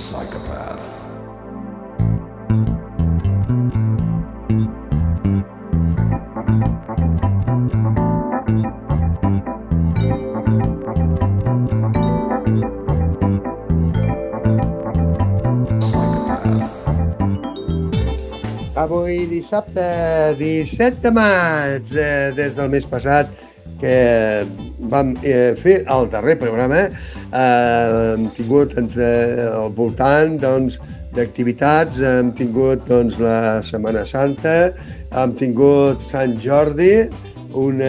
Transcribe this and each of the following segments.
Psychopath. Avui dissabte 17 de maig, des del mes passat que vam fer el darrer programa, hem tingut al voltant d'activitats, hem tingut la Setmana Santa, hem tingut Sant Jordi, un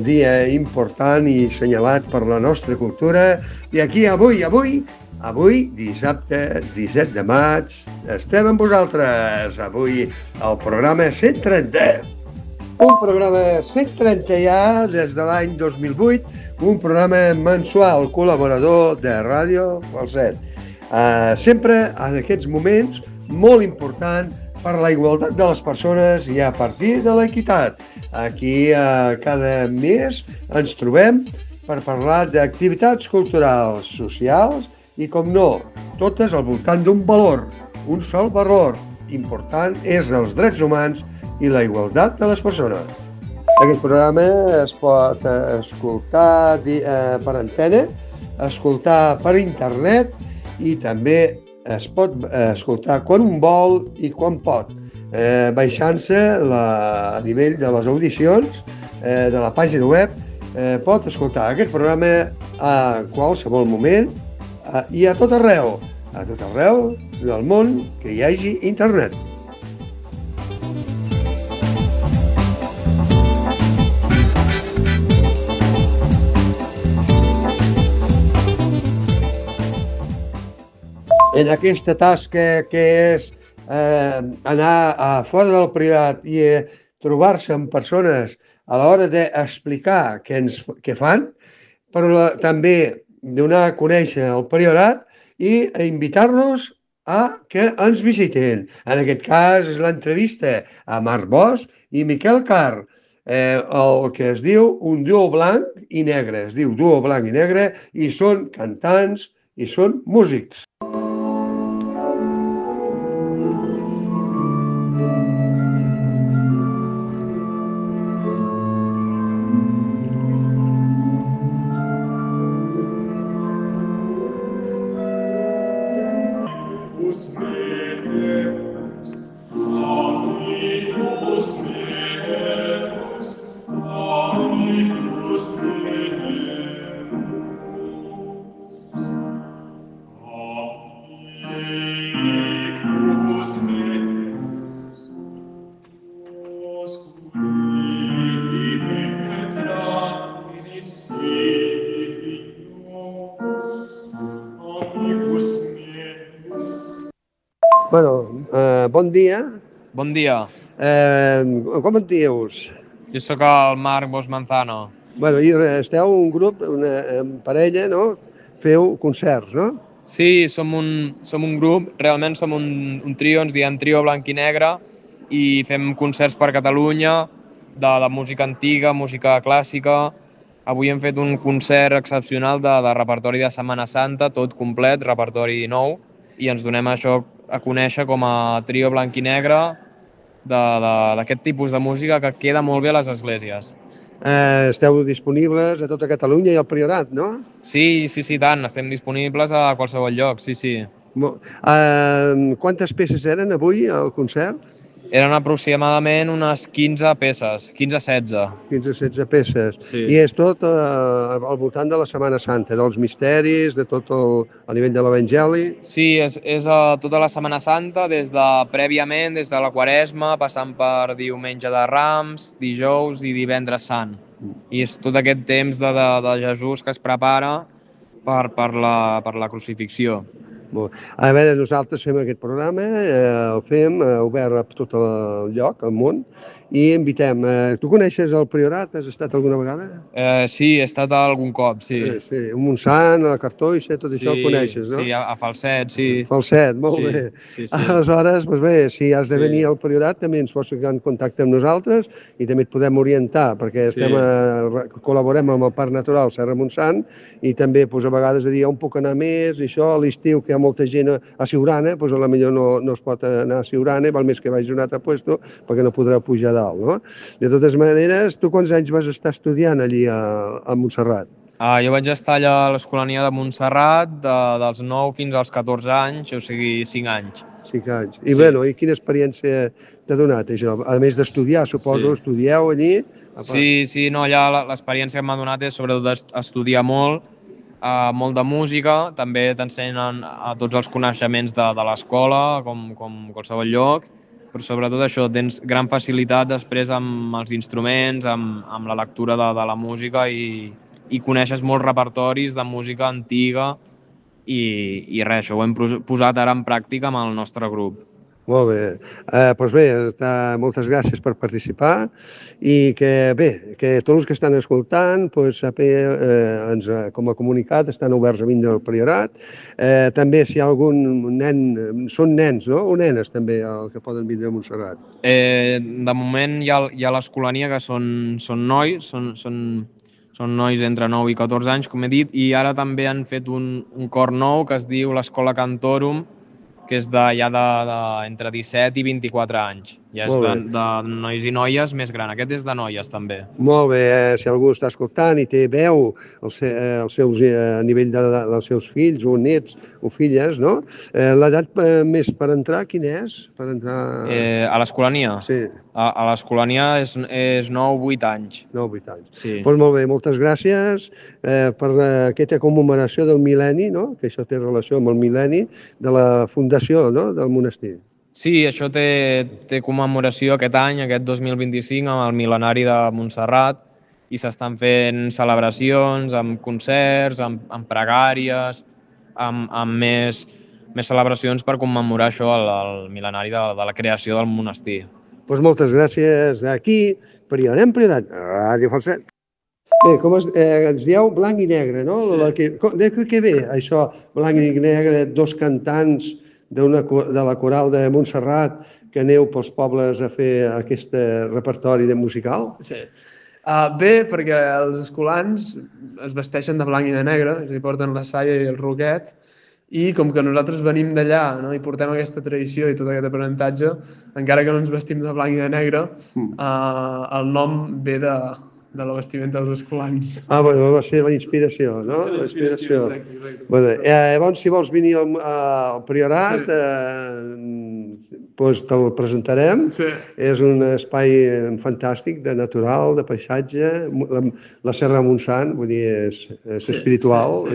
dia important i assenyalat per la nostra cultura, i aquí avui, dissabte 17 de maig, estem amb vosaltres. Avui el programa 130. Un programa 130 ja des de l'any 2008, un programa mensual col·laborador de Ràdio Falset. Sempre en aquests moments molt important per la igualtat de les persones i a partir de l'equitat. Aquí cada mes ens trobem per parlar d'activitats culturals, socials, i, com no, totes al voltant d'un valor, un sol valor important és els drets humans i la igualtat de les persones. Aquest programa es pot escoltar per antena, escoltar per internet i també es pot escoltar quan un vol i quan pot, baixant-se a nivell de les audicions de la pàgina web. Pot escoltar aquest programa a qualsevol moment i a tot arreu del món que hi hagi internet. En aquesta tasca que és anar a fora del privat i trobar-se amb persones a l'hora d'explicar què fan, però també donar a conèixer el Priorat i invitar-los a que ens visitin. En aquest cas és l'entrevista a Marc Bosch i Miquel Carr, el que es diu un duo blanc i negre. Es diu duo blanc i negre i són cantants i són músics. Bon dia. Bon dia. Com et dius? Jo sóc el Marc Bosch Manzano. I esteu un grup, una parella, no? Feu concerts, no? Sí, som un grup, realment som un trio, ens diem Trio Blanc i Negre, i fem concerts per Catalunya de música antiga, música clàssica. Avui hem fet un concert excepcional de repertori de Setmana Santa, tot complet, repertori nou, i ens donem això a conèixer com a Trio Blanc i Negre d'aquest tipus de música que queda molt bé a les esglésies. Esteu disponibles a tota Catalunya i al Priorat, no? Sí, tant. Estem disponibles a qualsevol lloc, sí. Quantes peces eren avui al concert? Eren aproximadament unes 15 peces, 15-16. 15-16 peces. Sí. I és tot al voltant de la Setmana Santa, dels misteris, de tot a nivell de l'Evangeli? Sí, és tota la Setmana Santa, prèviament, des de la Quaresma, passant per Diumenge de Rams, dijous i Divendres Sant. I és tot aquest temps de Jesús que es prepara per la crucifixió. A veure, nosaltres fem aquest programa, el fem obert a tot el lloc, al món, i invitem. Tu coneixes el Priorat? Has estat alguna vegada? Sí, he estat algun cop, sí. Sí, a Montsant, a la Cartoixa, tot això ho coneixes, no? Sí, a Falset, sí. Falset, molt bé. Sí. Aleshores, doncs bé, si has de venir al Priorat també ens pots ficar en contacte amb nosaltres i també et podem orientar, perquè col·laborem amb el Parc Natural Serra Montsant i també a vegades a dir on puc anar més, i això a l'estiu que hi ha molta gent a Siurana, doncs a la millor no es pot anar a Siurana, val més que vagi a un altre puesto perquè no podrà pujar dalt, no? De totes maneres, tu quants anys vas estar estudiant allí a Montserrat? Jo vaig estar allà a l'Escolania de Montserrat dels 9 fins als 14 anys, o sigui, 5 anys. 5 anys. I bueno, i quina experiència t'ha donat això? A més d'estudiar, suposo, estudieu allí? Sí, no, allà l'experiència que m'ha donat és sobretot estudiar molt de música, també t'ensenyen tots els coneixements de l'escola, com qualsevol lloc, però sobretot això, tens gran facilitat després amb els instruments, amb la lectura de la música i coneixes molts repertoris de música antiga i res, això ho hem posat ara en pràctica amb el nostre grup. Molt bé. Doncs bé, moltes gràcies per participar i que tots els que estan escoltant, com a comunicat, estan oberts a vindre al Priorat. També si hi ha algun nen, són nens, no? O nenes també, el que poden vindre a Montserrat? De moment hi ha l'Escolania, que són nois, són nois entre 9 i 14 anys, com he dit, i ara també han fet un cor nou que es diu l'Escola Cantorum, que és entre 17 i 24 anys. Ja és de nois i noies més gran. Aquest és de noies, també. Molt bé. Si algú està escoltant i té veu a nivell dels seus fills o nets o filles, no? L'edat més per entrar, quina és? A l'Escolania? Sí. A l'Escolania és 9-8 anys. 9-8 anys. Sí. Doncs molt bé, moltes gràcies per aquesta commemoració del mil·lenni, no? Que això té relació amb el mil·lenni de la fundació, no? Del monestir. Sí, això té commemoració aquest any, aquest 2025, amb el mil·lenari de Montserrat, i s'estan fent celebracions amb concerts, amb pregàries, amb més celebracions per commemorar això, el mil·lenari de la creació del monestir. Doncs moltes gràcies. Aquí, Priorat, Ràdio Falset. Bé, com ens dieu, blanc i negre, no? De què ve això, blanc i negre, dos cantants de la coral de Montserrat que aneu pels pobles a fer aquest repertori musical? Sí. Bé, perquè els escolans es vesteixen de blanc i de negre, és a dir, porten la saia i el roquet, i com que nosaltres venim d'allà, no, i portem aquesta tradició i tot aquest aprenentatge, encara que no ens vestim de blanc i de negre, el nom ve de la vestimenta dels escolans. Bueno, va ser la inspiració, no? La inspiració. Llavors, si vols venir al Priorat, doncs te'l presentarem. És un espai fantàstic, de natural, de paisatge. La Serra Montsant, vull dir, és espiritual.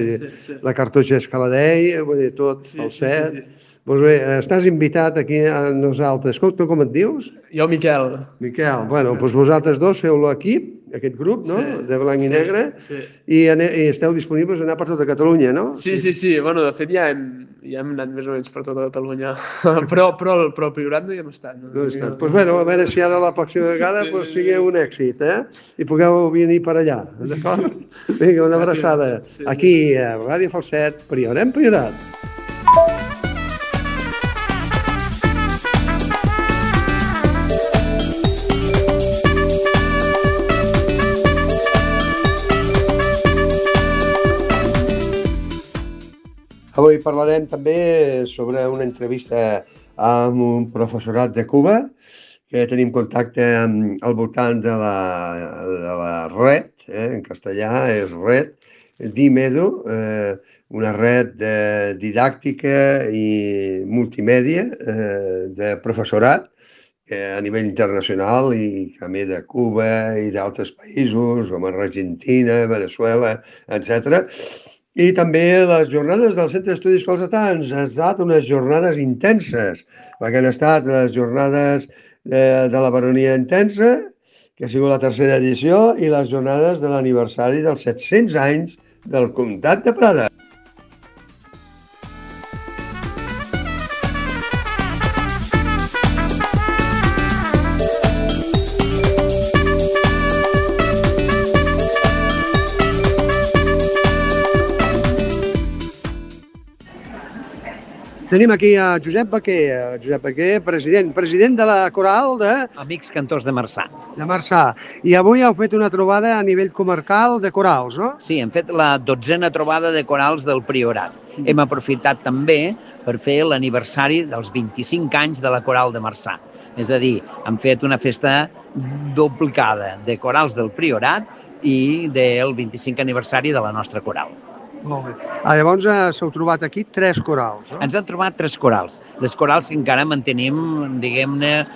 La Cartoixa Escaladei, vull dir, tot al set. Doncs bé, estàs invitat aquí a nosaltres. Tu com et dius? Jo, Miquel. Miquel, bueno, doncs vosaltres dos feu l'equip, aquest grup, no?, de blanc i negre, i esteu disponibles a anar per tota Catalunya, no? Sí. Bueno, de fet ja hem anat més o menys per tota Catalunya, però al Priorat no hi hem estat. No he estat. Doncs bueno, a veure si ara la pròxima vegada sigui un èxit, i pugueu venir per allà, d'acord? Vinga, una abraçada. Aquí, a Ràdio Falset, Priorat. Avui parlarem també sobre una entrevista amb un professorat de Cuba, que tenim contacte al voltant de la red, en castellà és red, d'Imedu, una red didàctica i multimèdia de professorat a nivell internacional i també de Cuba i d'altres països, com Argentina, Venezuela, etc. I també les jornades del Centre d'Estudis Falsetans han estat unes jornades intenses, perquè han estat les jornades de la Baronia Intensa, que ha sigut la tercera edició, i les jornades de l'aniversari dels 700 anys del Comtat de Prada. Tenim aquí a Josep Baquer, president de la coral de Amics Cantors de Marçà. Marçà. I avui heu fet una trobada a nivell comarcal de corals, no? Sí, hem fet la 12a trobada de corals del Priorat. Hem aprofitat també per fer l'aniversari dels 25 anys de la coral de Marçà. És a dir, hem fet una festa duplicada de corals del Priorat i del 25 aniversari de la nostra coral. Molt bé. Llavors s'heu trobat aquí 3 corals, no? Ens han trobat 3 corals. Les corals que encara mantenim, diguem-ne,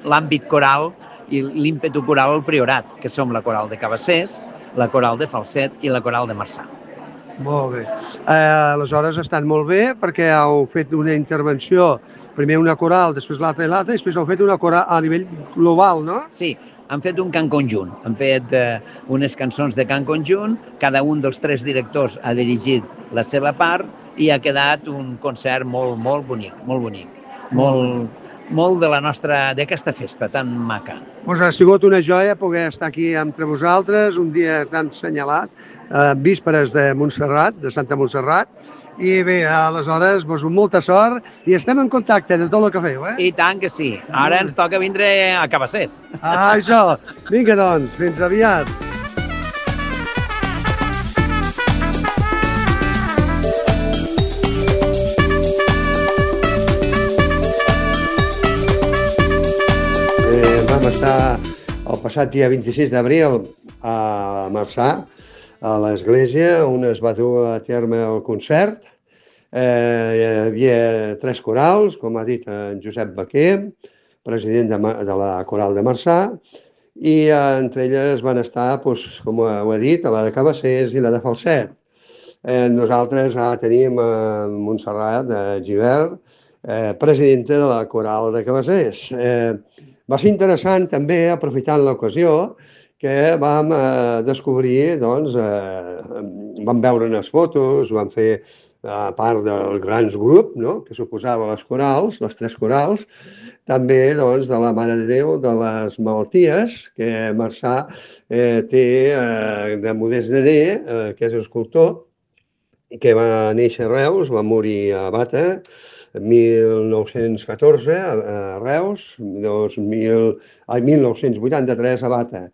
l'àmbit coral i l'ímpetu coral al Priorat, que som la coral de Cabassers, la coral de Falset i la coral de Marçà. Molt bé. Aleshores estan molt bé perquè heu fet una intervenció, primer una coral, després l'altra i l'altra, i després heu fet una coral a nivell global, no? Sí, han fet un cant conjunt, han fet unes cançons de cant conjunt, cada un dels 3 directors ha dirigit la seva part i ha quedat un concert molt bonic, molt de la nostra, d'aquesta festa tan maca. Doncs ha sigut una joia poder estar aquí entre vosaltres, un dia tan assenyalat, vísperes de Montserrat, de Santa Montserrat, i bé, aleshores, molta sort i estem en contacte de tot el que feu, eh? I tant que sí. Ara ens toca vindre a Cabassers. Això. Vinga, doncs, fins aviat. Vam estar el passat dia 26 d'abril a Marçà, a l'església, on es va dur a terme el concert. Hi havia 3 corals, com ha dit en Josep Baquer, president de la coral de Marçà, i entre elles van estar, com ho ha dit, la de Cabassers i la de Falset. Nosaltres tenim Montserrat Gibert, presidenta de la coral de Cabassers. Va ser interessant també, aprofitant l'ocasió, que vam descobrir, doncs, vam veure unes fotos, vam fer part del grans grup, no?, que suposava les corals, les 3 corals, també doncs, de la Mare de Déu de les Malalties, que Marçà té de Modest Nené, que és escultor, que va néixer a Reus, va morir a Bata, 1914 a Reus, 1983 a Bata.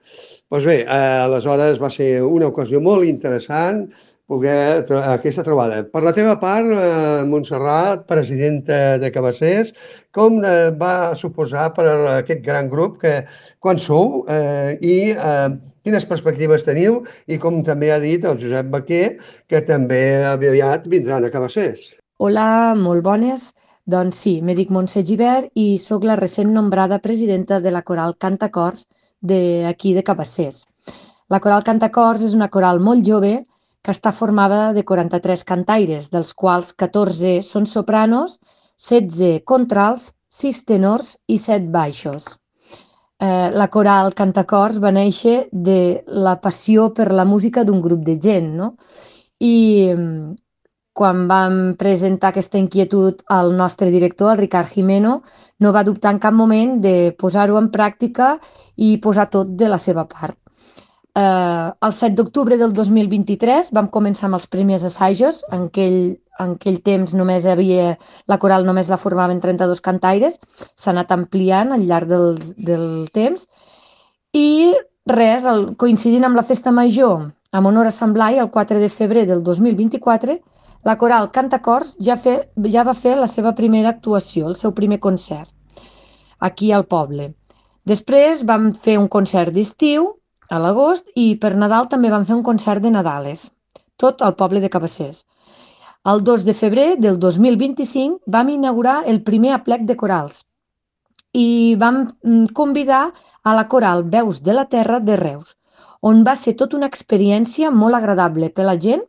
Doncs bé, aleshores va ser una ocasió molt interessant poder aquesta trobada. Per la teva part, Montserrat, presidenta de Cabassers, com va suposar per aquest gran grup que quan sou i quines perspectives teniu i com també ha dit el Josep Baquer, que també aviat vindran a Cabassers. Hola, molt bones. Doncs sí, me dic Montse Gibert i sóc la recent nombrada presidenta de la coral Cantacors d'aquí de Cabassers. La coral Cantacors és una coral molt jove que està formada de 43 cantaires, dels quals 14 són sopranos, 16 contrals, 6 tenors i 7 baixos. La coral Cantacors va néixer de la passió per la música d'un grup de gent, no? I quan vam presentar aquesta inquietud al nostre director, el Ricard Jimeno, no va dubtar en cap moment de posar-ho en pràctica i posar tot de la seva part. El 7 d'octubre del 2023 vam començar amb els primers assajos. En aquell temps la coral només la formaven 32 cantaires, s'ha anat ampliant al llarg del temps i res, coincidint amb la festa major en honor a Sant Blai, el 4 de febrer del 2024, la coral Cantacors ja va fer la seva primera actuació, el seu primer concert, aquí al poble. Després vam fer un concert d'estiu a l'agost i per Nadal també vam fer un concert de Nadales, tot al poble de Cabassers. El 2 de febrer del 2025 vam inaugurar el primer aplec de corals i vam convidar a la coral Veus de la Terra de Reus, on va ser tota una experiència molt agradable per la gent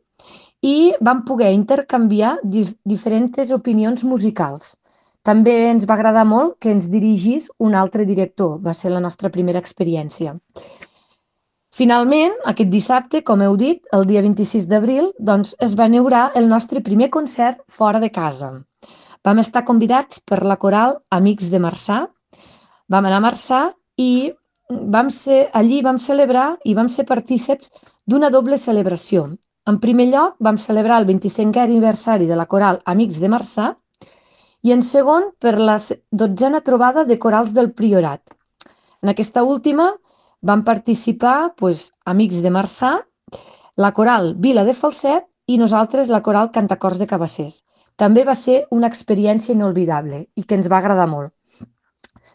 i vam poder intercanviar diferents opinions musicals. També ens va agradar molt que ens dirigís un altre director, va ser la nostra primera experiència. Finalment, aquest dissabte, com heu dit, el dia 26 d'abril, doncs es va inaugurar el nostre primer concert fora de casa. Vam estar convidats per la coral Amics de Marçà, vam anar a Marçà i allí vam celebrar i vam ser partícips d'una doble celebració. En primer lloc, vam celebrar el 25è aniversari de la coral Amics de Marçà i en segon per la 12a trobada de corals del Priorat. En aquesta última van participar amics de Marçà, la coral Vila de Falset i nosaltres la coral Cantacors de Cabassers. També va ser una experiència inolvidable i que ens va agradar molt.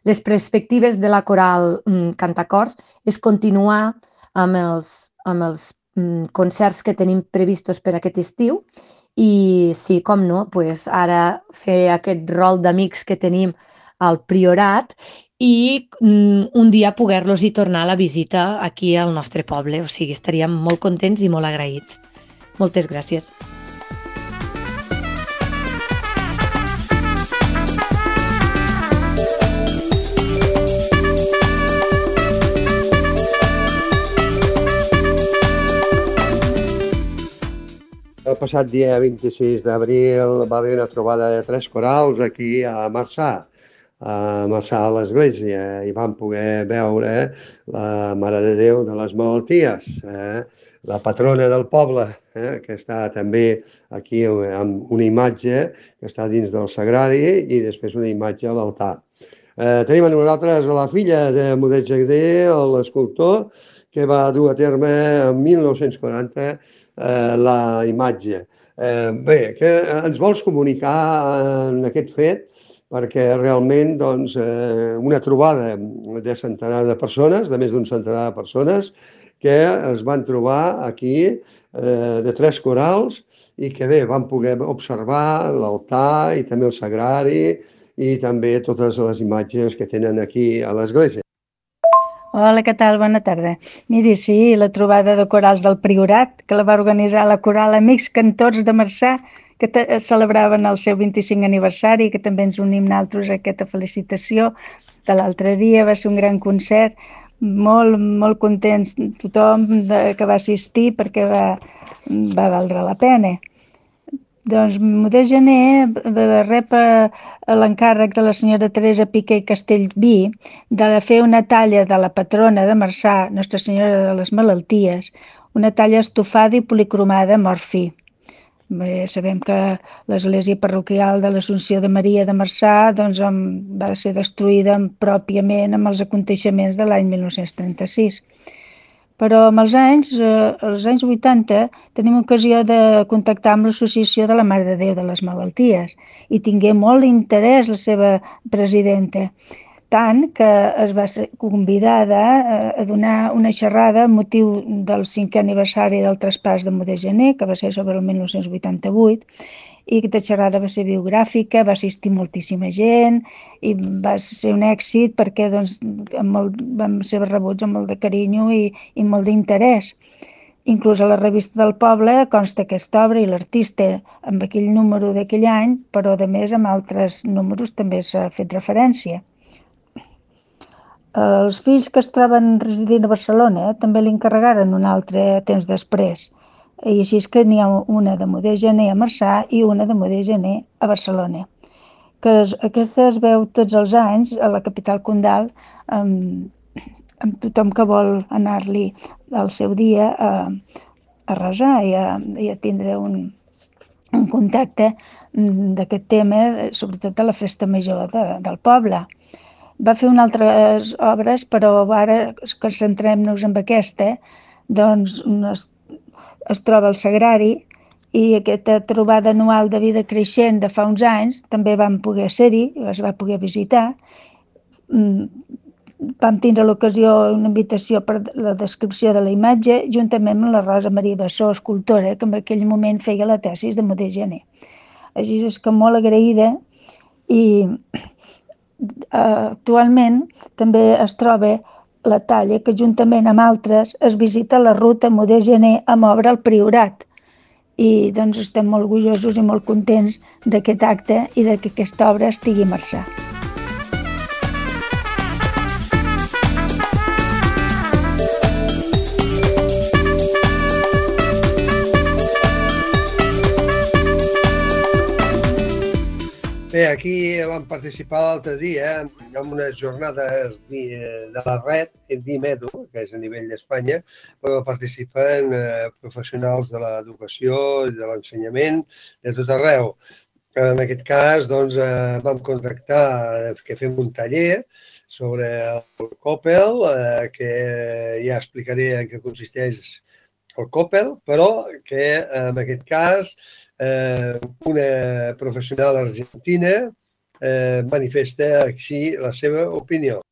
Les perspectives de la coral Cantacors és continuar amb els concerts que tenim previstos per aquest estiu i sí, com no, ara fer aquest rol d'amics que tenim al Priorat i un dia poder-los-hi tornar a la visita aquí al nostre poble. O sigui, estaríem molt contents i molt agraïts. Moltes gràcies. El passat dia 26 d'abril va haver una trobada de 3 corals aquí a Marçà a l'església, i vam poder veure la Mare de Déu de les Malalties, la patrona del poble, que està també aquí amb una imatge que està dins del sagrari i després una imatge a l'altar. Tenim amb nosaltres la filla de Modest Jagder, l'escultor, que va dur a terme en 1940 la imatge. Bé, que ens vols comunicar en aquest fet, perquè realment una trobada de centenar de persones, de més d'un centenar de persones, que es van trobar aquí de 3 corals i que bé, van poder observar l'altar i també el sagrari i també totes les imatges que tenen aquí a l'església. Hola, què tal? Bona tarda. Miri, sí, la trobada de corals del Priorat, que la va organitzar la coral Amics Cantors de Marçà, que celebraven el seu 25 aniversari, que també ens unim nosaltres a aquesta felicitació de l'altre dia. Va ser un gran concert, molt contents tothom que va assistir perquè va valdre la pena. Doncs Modest Gener rep l'encàrrec de la senyora Teresa Piqué Castellví de fer una talla de la patrona de Marçà, Nostra Senyora de les Malalties, una talla estofada i policromada amb or fi. Bé, sabem que l'església parroquial de l'Assumpció de Maria de Marçà va ser destruïda pròpiament amb els aconteixements de l'any 1936. Però amb els anys 80, tenim ocasió de contactar amb l'Associació de la Mare de Déu de les Malalties i tingué molt interès la seva presidenta, tant que es va ser convidada a donar una xerrada amb motiu del 5è aniversari del traspàs de Modest Gener, que va ser sobre el 1988, i aquesta xerrada va ser biogràfica, va assistir moltíssima gent i va ser un èxit perquè vam ser rebuts amb molt de carinyo i molt d'interès. Inclús a la revista del poble consta aquesta obra i l'artista amb aquell número d'aquell any, però a més amb altres números també s'ha fet referència. Els fills que es troben residint a Barcelona també li encarregaren un altre temps després. I així és que n'hi ha una de Modest Gener a Marçà i una de Modest Gener a Barcelona. Aquesta es veu tots els anys a la capital condal amb tothom que vol anar-li al seu dia a resar i a tindre un contacte d'aquest tema, sobretot a la festa major del poble. Va fer unes altres obres, però ara que centrem-nos en aquesta, doncs es troba el sagrari i aquesta trobada anual de vida creixent de fa uns anys també vam poder ser-hi, es va poder visitar. Vam tindre l'ocasió, una invitació per la descripció de la imatge, juntament amb la Rosa Maria Bassó, escultora, que en aquell moment feia la tesis de Modest Gener. Així és que molt agraïda i actualment també es troba la talla que juntament amb altres es visita la ruta Modest Gener amb obra al Priorat. I doncs estem molt orgullosos i molt contents d'aquest acte i que aquesta obra estigui a Marçà. Bé, aquí vam participar l'altre dia en unes jornades de la red, en DIMEDO, que és a nivell d'Espanya, però participen professionals de l'educació i de l'ensenyament de tot arreu. En aquest cas, doncs, vam contactar que fem un taller sobre el Coppel, que ja explicaré en què consisteix el Coppel, però que en aquest cas una professional argentina manifesta així la seva opinió.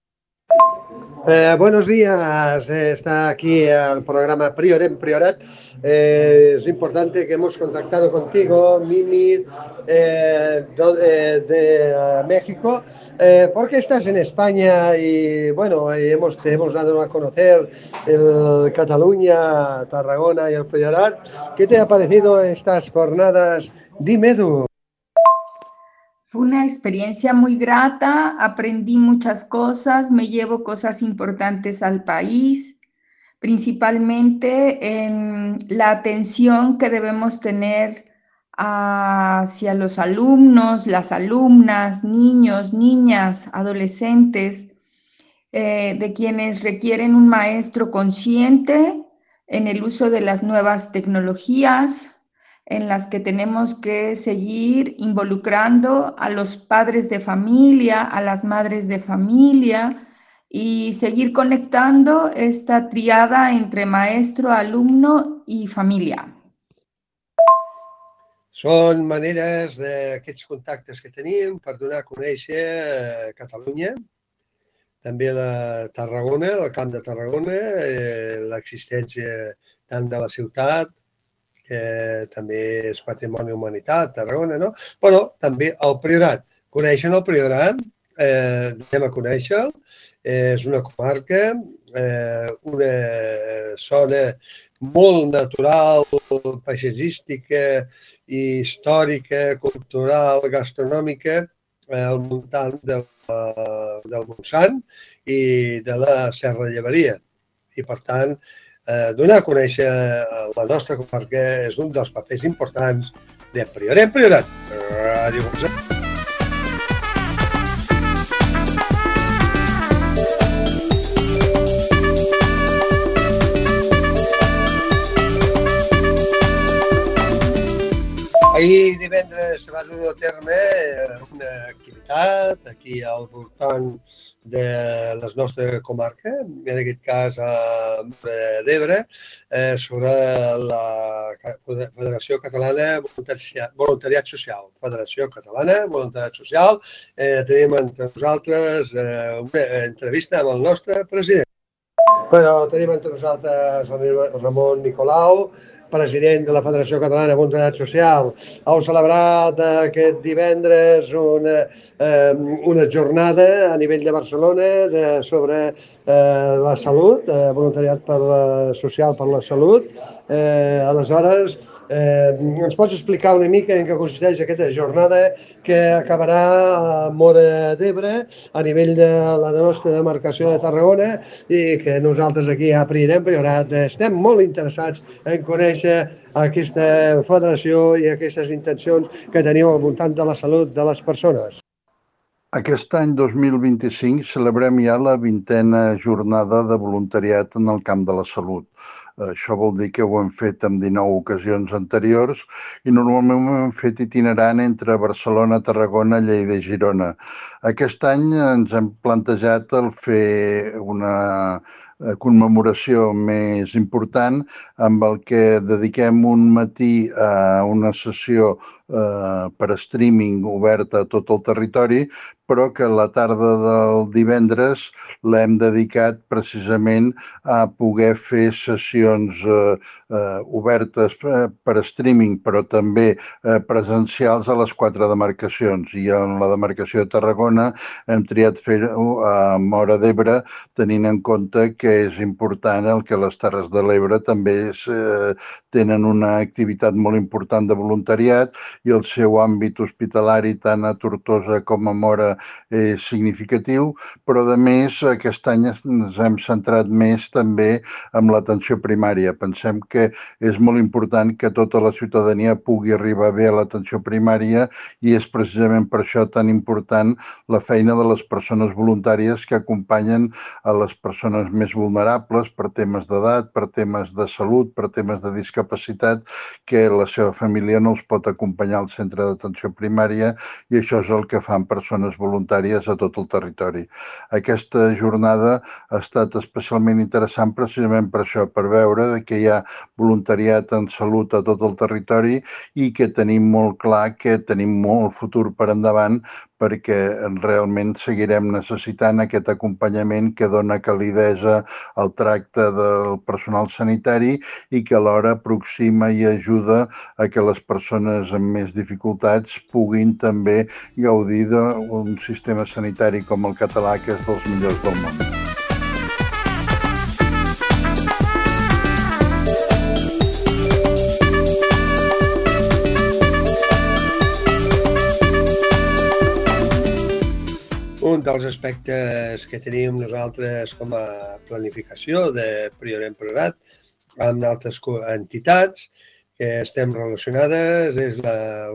Buenos días, está aquí el programa Priorem Priorat. Es importante que hemos contactado contigo, Mimi, de México, porque estás en España y bueno, te hemos dado a conocer el Cataluña, Tarragona y el Priorat. ¿Qué te ha parecido estas jornadas? Dime tú. Fue una experiencia muy grata, aprendí muchas cosas, me llevo cosas importantes al país, principalmente en la atención que debemos tener hacia los alumnos, las alumnas, niños, niñas, adolescentes, de quienes requieren un maestro consciente en el uso de las nuevas tecnologías, en las que tenemos que seguir involucrando a los padres de familia, a las madres de familia y seguir conectando esta triada entre maestro, alumno y familia. Són maneres d'aquests contactes que tenim per donar a conèixer Catalunya, també la Tarragona, el Camp de Tarragona, l'existència tant de la ciutat, que també és patrimoni humanitat, Tarragona, no? Però també el Priorat. Coneixen el Priorat? Anem a conèixer-lo. És una comarca, una zona molt natural, paisatgística, històrica, cultural, gastronòmica, al voltant del Montsant i de la Serra de Llevaria. I, per tant, donar a conèixer la nostra comarca és un dels papers importants de Priorem Priorat. Ràdio Montsant. Ahir divendres va dur a terme una activitat aquí al voltant de la nostra comarca, en aquest cas a Móra d'Ebre, sobre la Federació Catalana Voluntariat Social. Federació Catalana Voluntariat Social. Tenim entre nosaltres una entrevista amb el nostre president. Tenim entre nosaltres el Ramon Nicolau, president de la Federació Catalana de Voluntariat Social. Heu celebrat aquest divendres una jornada a nivell de Barcelona sobre la salut, voluntariat social per la salut. Aleshores, ens pots explicar una mica en què consisteix aquesta jornada que acabarà a Móra d'Ebre a nivell de la nostra demarcació de Tarragona i que nosaltres aquí a Priorem Priorat estem molt interessats en conèixer aquesta federació i aquestes intencions que teniu al voltant de la salut de les persones. Aquest any 2025 celebrem ja la 20a jornada de voluntariat en el camp de la salut. Això vol dir que ho hem fet en 19 ocasions anteriors i normalment ho hem fet itinerant entre Barcelona, Tarragona, Lleida i Girona. Aquest any ens hem plantejat el fer una commemoració més important amb el que dediquem un matí a una sessió per streaming oberta a tot el territori, però que la tarda del divendres l'hem dedicat precisament a poder fer sessions obertes per streaming, però també presencials a les 4 demarcacions. I en la demarcació de Tarragona hem triat fer-ho a Móra d'Ebre, tenint en compte que és important el que les Terres de l'Ebre també tenen una activitat molt important de voluntariat i el seu àmbit hospitalari tant a Tortosa com a Móra és significatiu, però a més aquest any ens hem centrat més també en l'atenció primària. Pensem que és molt important que tota la ciutadania pugui arribar bé a l'atenció primària i és precisament per això tan important la feina de les persones voluntàries que acompanyen a les persones més vulnerables, per temes d'edat, per temes de salut, per temes de discapacitat, que la seva família no els pot acompanyar al centre d'atenció primària, i això és el que fan persones voluntàries a tot el territori. Aquesta jornada ha estat especialment interessant precisament per això, per veure que hi ha voluntariat en salut a tot el territori i que tenim molt clar que tenim molt futur per endavant, perquè realment seguirem necessitant aquest acompanyament que dona calidesa al tracte del personal sanitari i que alhora aproxima i ajuda a que les persones amb més dificultats puguin també gaudir d'un sistema sanitari com el català, que és dels millors del món. Un dels aspectes que tenim nosaltres com a planificació de Priorat Priorat amb altres entitats que estem relacionades és la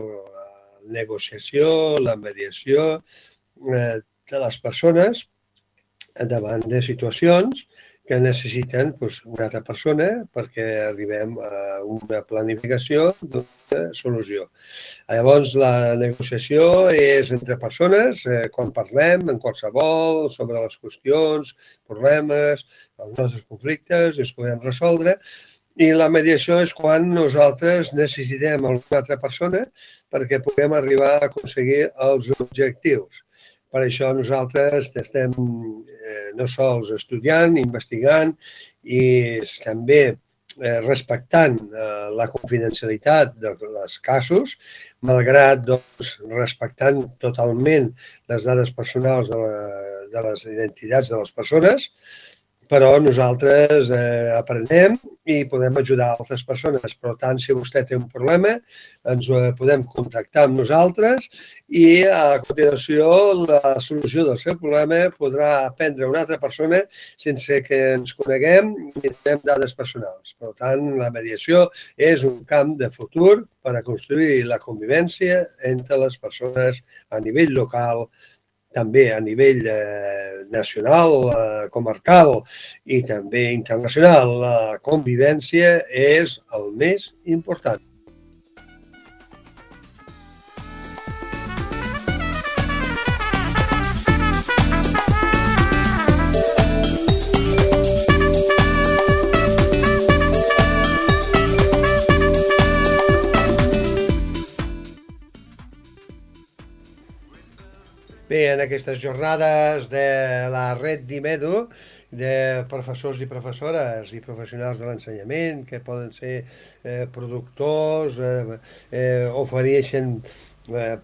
negociació, la mediació de les persones davant de situacions que necessiten una altra persona perquè arribem a una planificació d'una solució. Llavors, la negociació és entre persones, quan parlem en qualsevol, sobre les qüestions, problemes, els nostres conflictes, els podem resoldre, i la mediació és quan nosaltres necessitem alguna altra persona perquè puguem arribar a aconseguir els objectius. Per això nosaltres estem no sols estudiant, investigant i també respectant la confidencialitat dels casos, malgrat respectant totalment les dades personals de les identitats de les persones, però nosaltres aprenem i podem ajudar altres persones. Per tant, si vostè té un problema, ens podem contactar amb nosaltres i a continuació la solució del seu problema podrà prendre una altra persona sense que ens coneguem i tenim dades personals. Per tant, la mediació és un camp de futur per a construir la convivència entre les persones a nivell local, també a nivell nacional, comarcal i també internacional. La convivència és el més important. Bé, en aquestes jornades de la Red d'IMEDU, de professors i professores i professionals de l'ensenyament, que poden ser productors, ofereixen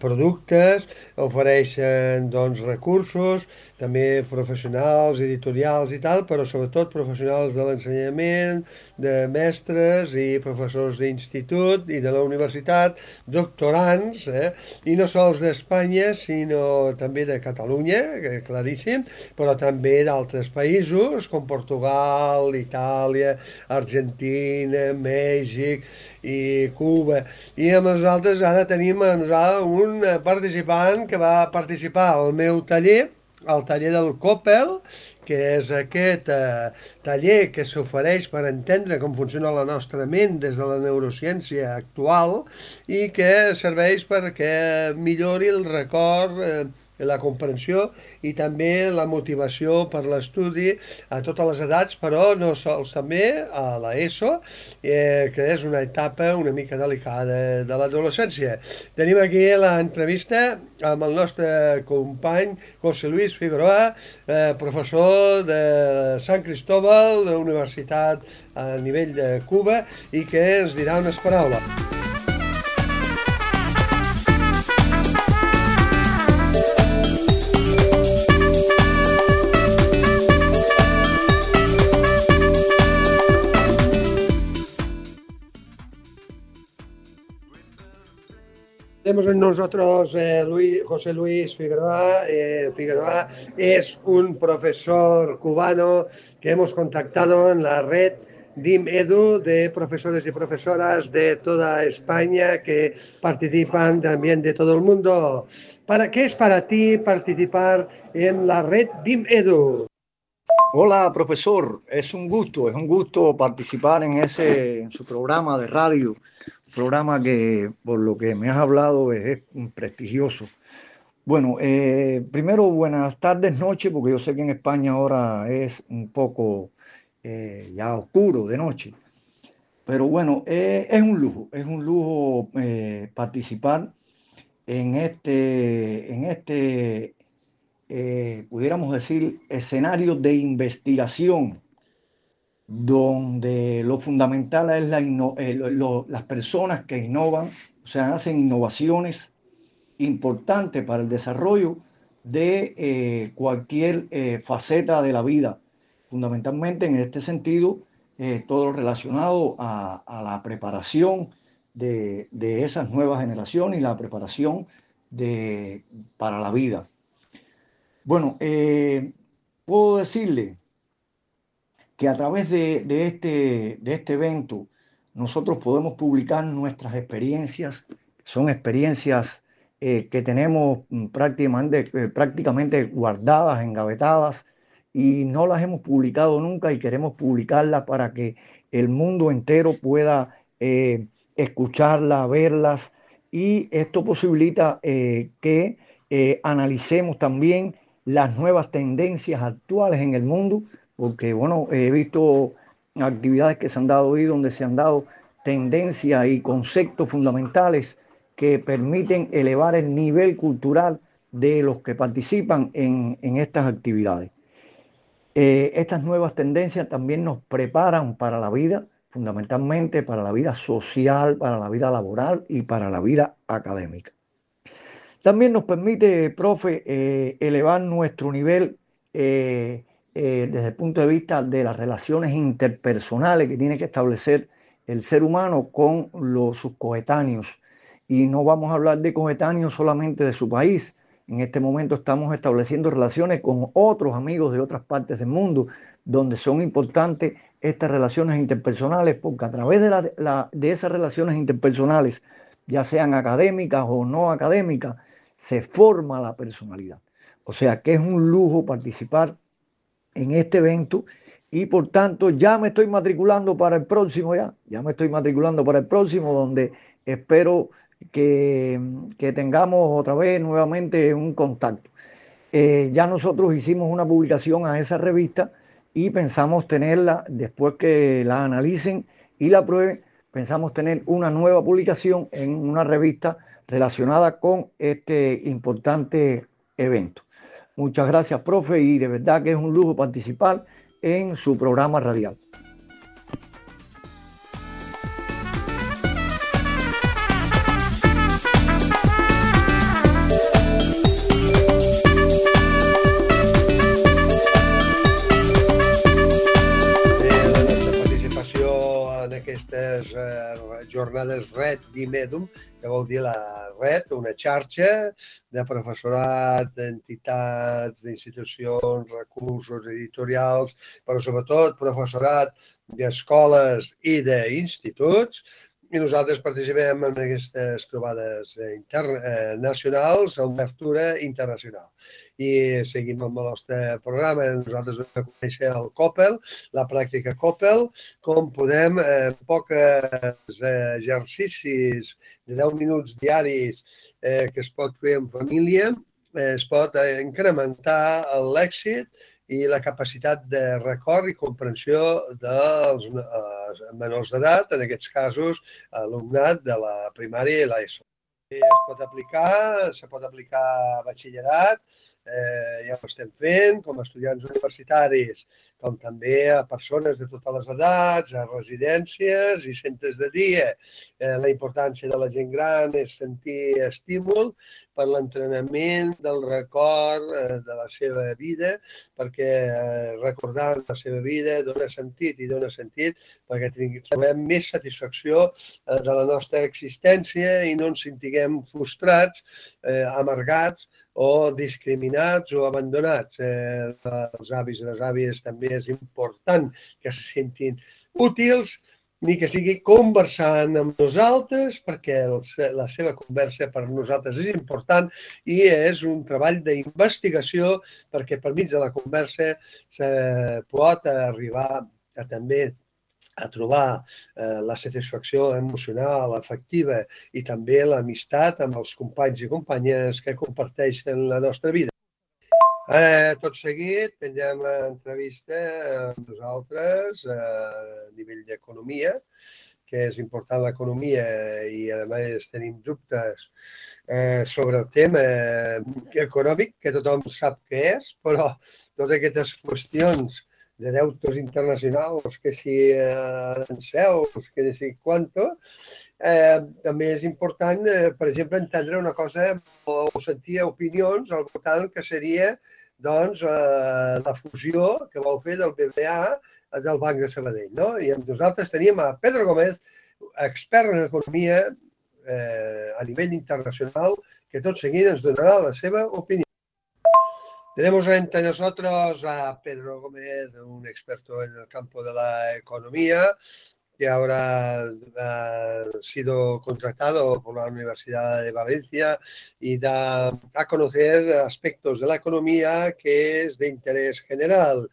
productes, ofereixen recursos, també professionals, editorials i tal, però sobretot professionals de l'ensenyament, de mestres i professors d'institut i de la universitat, doctorants, i no sols d'Espanya, sinó també de Catalunya, claríssim, però també d'altres països, com Portugal, Itàlia, Argentina, Mèxic i Cuba. I amb nosaltres ara tenim un participant que va participar al meu taller, el taller del Coppel, que és aquest taller que s'ofereix per entendre com funciona la nostra ment des de la neurociència actual i que serveix perquè millori el record, la comprensió i també la motivació per l'estudi a totes les edats, però no sols també a l'ESO, que és una etapa una mica delicada de l'adolescència. Tenim aquí l'entrevista amb el nostre company José Luis Figueroa, professor de Sant Cristóbal, de la Universitat a nivell de Cuba, i que ens dirà unes paraules. Tenemos en nosotros José Luis Figueroa. Figueroa es un profesor cubano que hemos contactado en la red DIM-EDU de profesores y profesoras de toda España que participan también de todo el mundo. ¿Qué es para ti participar en la red DIM-EDU? Hola, profesor. Es un gusto participar en su programa de radio, un programa que, por lo que me has hablado, es prestigioso. Bueno, primero, buenas tardes, noche, porque yo sé que en España ahora es un poco ya oscuro de noche. Pero bueno, es un lujo participar en pudiéramos decir, escenario de investigación donde lo fundamental es las personas que innovan, o sea, hacen innovaciones importantes para el desarrollo de cualquier faceta de la vida. Fundamentalmente en este sentido, todo relacionado a la preparación de esas nuevas generaciones y la preparación para la vida. Bueno, puedo decirle que a través de este evento nosotros podemos publicar nuestras experiencias. Son experiencias que tenemos prácticamente guardadas, engavetadas, y no las hemos publicado nunca y queremos publicarlas para que el mundo entero pueda escucharlas, verlas, y esto posibilita que analicemos también las nuevas tendencias actuales en el mundo, porque bueno, he visto actividades que se han dado ahí donde se han dado tendencias y conceptos fundamentales que permiten elevar el nivel cultural de los que participan en estas actividades. Estas nuevas tendencias también nos preparan para la vida, fundamentalmente para la vida social, para la vida laboral y para la vida académica. También nos permite, profe, elevar nuestro nivel desde el punto de vista de las relaciones interpersonales que tiene que establecer el ser humano con sus coetáneos. Y no vamos a hablar de coetáneos solamente de su país. En este momento estamos estableciendo relaciones con otros amigos de otras partes del mundo, donde son importantes estas relaciones interpersonales, porque a través de esas relaciones interpersonales, ya sean académicas o no académicas, se forma la personalidad. O sea que es un lujo participar en este evento, y por tanto ya me estoy matriculando para el próximo, donde espero que tengamos otra vez nuevamente un contacto. Ya nosotros hicimos una publicación a esa revista y pensamos tenerla, después que la analicen y la prueben, pensamos tener una nueva publicación en una revista relacionada con este importante evento. Muchas gracias, profe, y de verdad que es un lujo participar en su programa radial. Aquestes jornades RED d'IMEDUM, que vol dir la red, una xarxa de professorat, d'entitats, d'institucions, recursos editorials, però sobretot professorat d'escoles i d'instituts. I nosaltres participem en aquestes trobades nacionals amb obertura internacional. I seguim amb el nostre programa. Nosaltres vam conèixer el COPEL, la pràctica COPEL, com podem, en pocs exercicis de 10 minuts diaris que es pot fer en família, es pot incrementar l'èxit i la capacitat de record i comprensió dels menors d'edat, en aquests casos alumnat de la primària i l'ESO. Se pot aplicar a batxillerat, ja ho estem fent, com a estudiants universitaris, com també a persones de totes les edats, a residències i centres de dia. La importància de la gent gran és sentir estímul per l'entrenament del record de la seva vida, perquè recordar la seva vida dona sentit perquè trobem més satisfacció de la nostra existència i no ens sentiguem frustrats, amargats o discriminats o abandonats. Els avis i les àvies també és important que se sentin útils ni que sigui conversant amb nosaltres, perquè la seva conversa per nosaltres és important i és un treball d'investigació perquè per mig de la conversa se pot arribar a també a trobar la satisfacció emocional, afectiva i també l'amistat amb els companys i companyes que comparteixen la nostra vida. Tot seguit, tindrem entrevista amb nosaltres a nivell d'economia, que és important l'economia i a més tenim dubtes sobre el tema econòmic, que tothom sap què és, però totes aquestes qüestions de deutes internacionals, que si arancels, que si quanto, també és important, per exemple, entendre una cosa o sentir opinions al voltant que seria doncs, la fusió que vol fer del BBVA del Banc de Sabadell. No? I amb nosaltres teníem a Pedro Gómez, expert en economia a nivell internacional, que tot seguit ens donarà la seva opinió. Tenemos entre nosotros a Pedro Gómez, un experto en el campo de la economía, que ahora ha sido contratado por la Universidad de Valencia y da a conocer aspectos de la economía que es de interés general.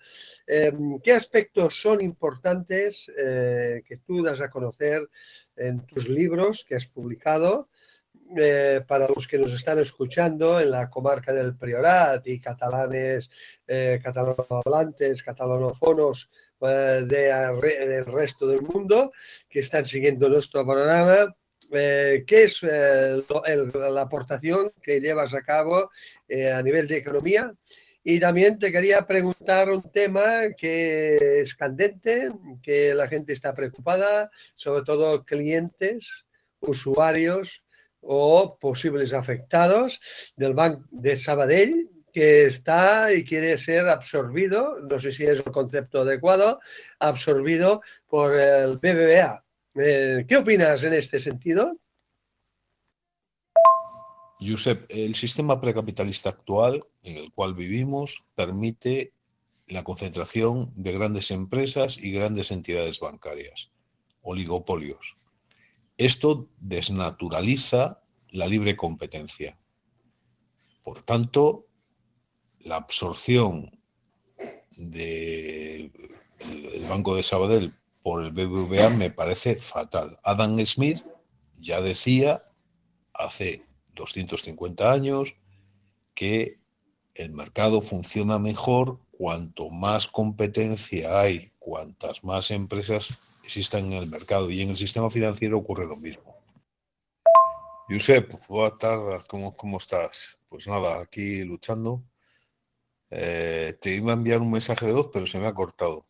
¿Qué aspectos son importantes que tú das a conocer en tus libros que has publicado? Para los que nos están escuchando en la comarca del Priorat y catalanes, catalanohablantes, catalanófonos del resto del mundo que están siguiendo nuestro programa, ¿qué es la aportación que llevas a cabo a nivel de economía? Y también te quería preguntar un tema que es candente, que la gente está preocupada, sobre todo clientes, usuarios o posibles afectados del Banc de Sabadell, que está y quiere ser absorbido, no sé si es el concepto adecuado, absorbido por el BBVA. ¿Qué opinas en este sentido? Josep, el sistema precapitalista actual en el cual vivimos permite la concentración de grandes empresas y grandes entidades bancarias, oligopolios. Esto desnaturaliza la libre competencia. Por tanto, la absorción del Banco de Sabadell por el BBVA me parece fatal. Adam Smith ya decía hace 250 años que el mercado funciona mejor cuanto más competencia hay, cuantas más empresas existan en el mercado, y en el sistema financiero ocurre lo mismo. Josep, buenas tardes, ¿cómo estás? Pues nada, aquí luchando. Te iba a enviar un mensaje de voz, pero se me ha cortado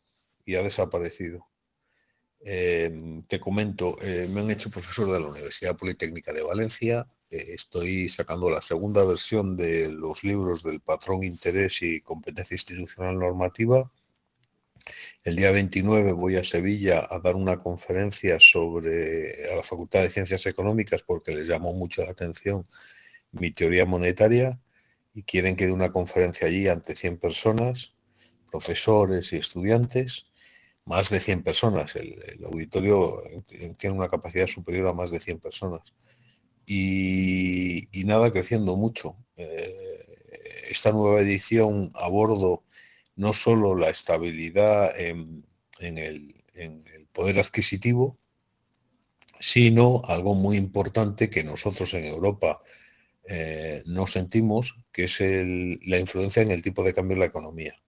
y ha desaparecido. Te comento, me han hecho profesor de la Universidad Politécnica de Valencia. Estoy sacando la segunda versión de los libros del patrón interés y competencia institucional normativa. El día 29 voy a Sevilla a dar una conferencia a la Facultad de Ciencias Económicas porque les llamó mucho la atención mi teoría monetaria y quieren que dé una conferencia allí ante 100 personas, profesores y estudiantes, más de 100 personas. El auditorio tiene una capacidad superior a más de 100 personas. Y nada, creciendo mucho. Esta nueva edición abordo no solo la estabilidad en el poder adquisitivo, sino algo muy importante que nosotros en Europa no sentimos, que es la influencia en el tipo de cambio en la economía.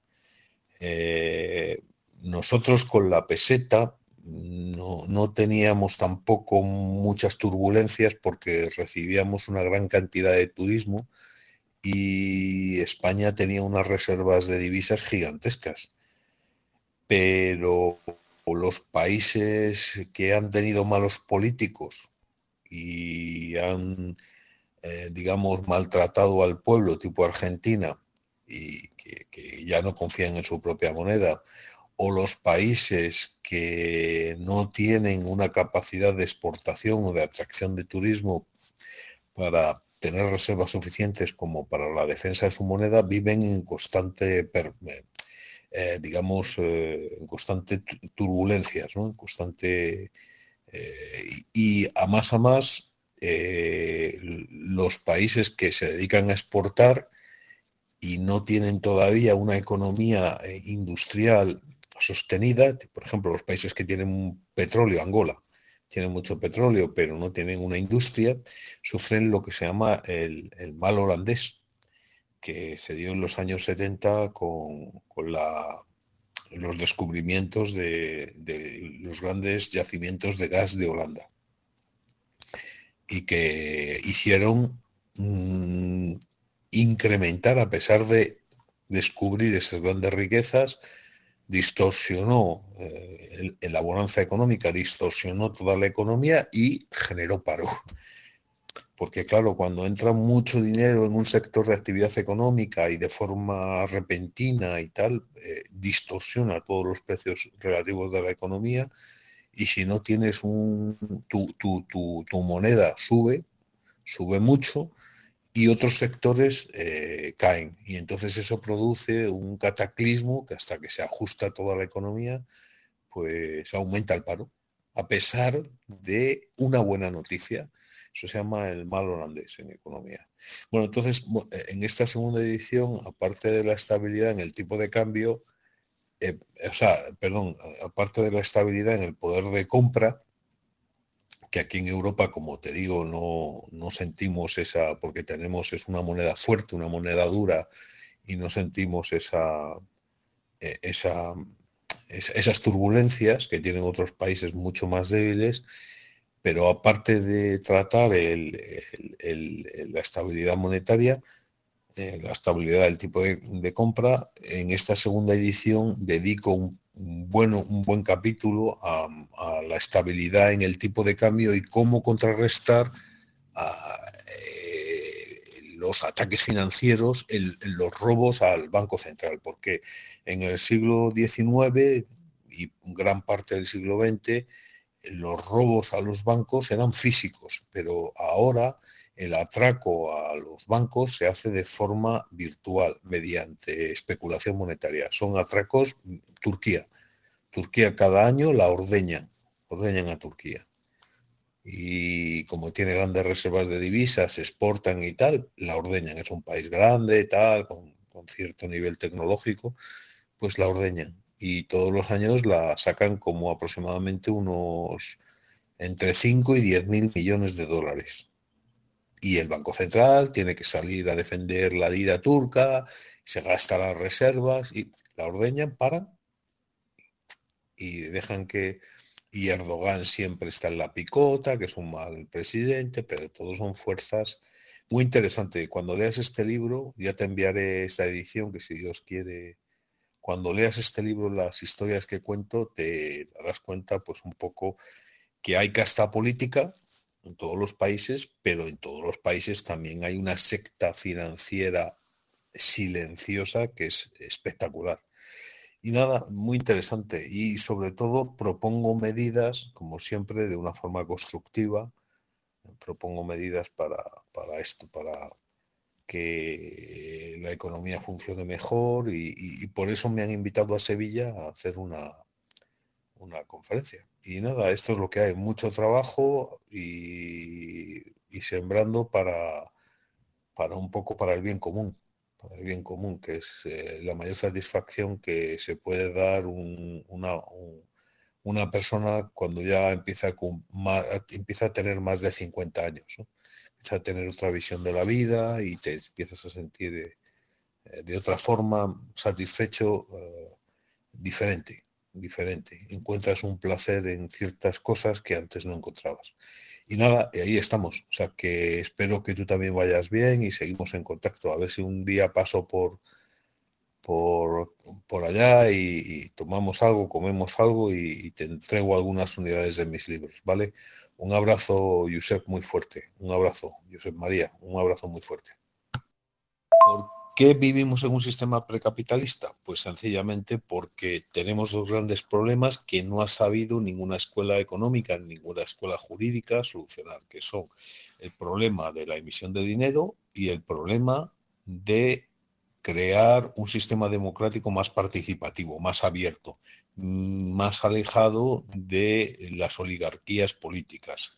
Nosotros con la peseta no teníamos tampoco muchas turbulencias porque recibíamos una gran cantidad de turismo y España tenía unas reservas de divisas gigantescas. Pero los países que han tenido malos políticos y han, digamos, maltratado al pueblo, tipo Argentina, y que ya no confían en su propia moneda, o los países que no tienen una capacidad de exportación o de atracción de turismo para tener reservas suficientes como para la defensa de su moneda, viven en constante digamos, en constante turbulencias, ¿no? En constante... y a más, los países que se dedican a exportar y no tienen todavía una economía industrial sostenida, por ejemplo, los países que tienen petróleo, Angola, tienen mucho petróleo, pero no tienen una industria, sufren lo que se llama el mal holandés, que se dio en los años 70 con los descubrimientos de los grandes yacimientos de gas de Holanda, y que hicieron incrementar, a pesar de descubrir esas grandes riquezas, distorsionó la bonanza económica, distorsionó toda la economía y generó paro. Porque claro, cuando entra mucho dinero en un sector de actividad económica y de forma repentina y tal, distorsiona todos los precios relativos de la economía, y si no tienes tu moneda sube mucho, y otros sectores caen. Y entonces eso produce un cataclismo que, hasta que se ajusta toda la economía, pues aumenta el paro, a pesar de una buena noticia. Eso se llama el mal holandés en economía. Bueno, entonces, en esta segunda edición, aparte de la estabilidad en el tipo de cambio, aparte de la estabilidad en el poder de compra, que aquí en Europa, como te digo, no sentimos esa, porque es una moneda fuerte, una moneda dura, y no sentimos esas turbulencias que tienen otros países mucho más débiles. Pero aparte de tratar la estabilidad monetaria, la estabilidad del tipo de compra, en esta segunda edición dedico un buen capítulo a la estabilidad en el tipo de cambio y cómo contrarrestar los ataques financieros, los robos al Banco Central, porque en el siglo XIX y gran parte del siglo XX los robos a los bancos eran físicos, pero ahora el atraco a los bancos se hace de forma virtual, mediante especulación monetaria. Son atracos. Turquía cada año la ordeñan a Turquía. Y como tiene grandes reservas de divisas, exportan y tal, la ordeñan. Es un país grande, tal, con cierto nivel tecnológico, pues la ordeñan. Y todos los años la sacan como aproximadamente unos entre 5 y 10 mil millones de dólares. Y el Banco Central tiene que salir a defender la lira turca, se gasta las reservas y la ordeñan, paran y dejan que... Y Erdogan siempre está en la picota, que es un mal presidente, pero todos son fuerzas muy interesantes. Cuando leas este libro, ya te enviaré esta edición, que si Dios quiere, cuando leas este libro, las historias que cuento, te darás cuenta pues un poco que hay casta política en todos los países, pero en todos los países también hay una secta financiera silenciosa que es espectacular. Y nada, muy interesante. Y sobre todo propongo medidas, como siempre, de una forma constructiva. Propongo medidas para esto, para que la economía funcione mejor, y por eso me han invitado a Sevilla a hacer una conferencia. Y nada, esto es lo que hay, mucho trabajo y sembrando para un poco para el bien común. Para el bien común, que es la mayor satisfacción que se puede dar una persona cuando ya empieza a tener más de 50 años, ¿no? Empieza a tener otra visión de la vida y te empiezas a sentir de otra forma satisfecho, diferente. Encuentras un placer en ciertas cosas que antes no encontrabas. Y nada, ahí estamos. O sea, que espero que tú también vayas bien y seguimos en contacto. A ver si un día paso por allá y tomamos algo, comemos algo y te entrego algunas unidades de mis libros, ¿vale? Un abrazo, Josep, muy fuerte. Un abrazo, Josep María. Un abrazo muy fuerte. ¿Por qué vivimos en un sistema precapitalista? Pues sencillamente porque tenemos dos grandes problemas que no ha sabido ninguna escuela económica, ninguna escuela jurídica solucionar, que son el problema de la emisión de dinero y el problema de crear un sistema democrático más participativo, más abierto, más alejado de las oligarquías políticas.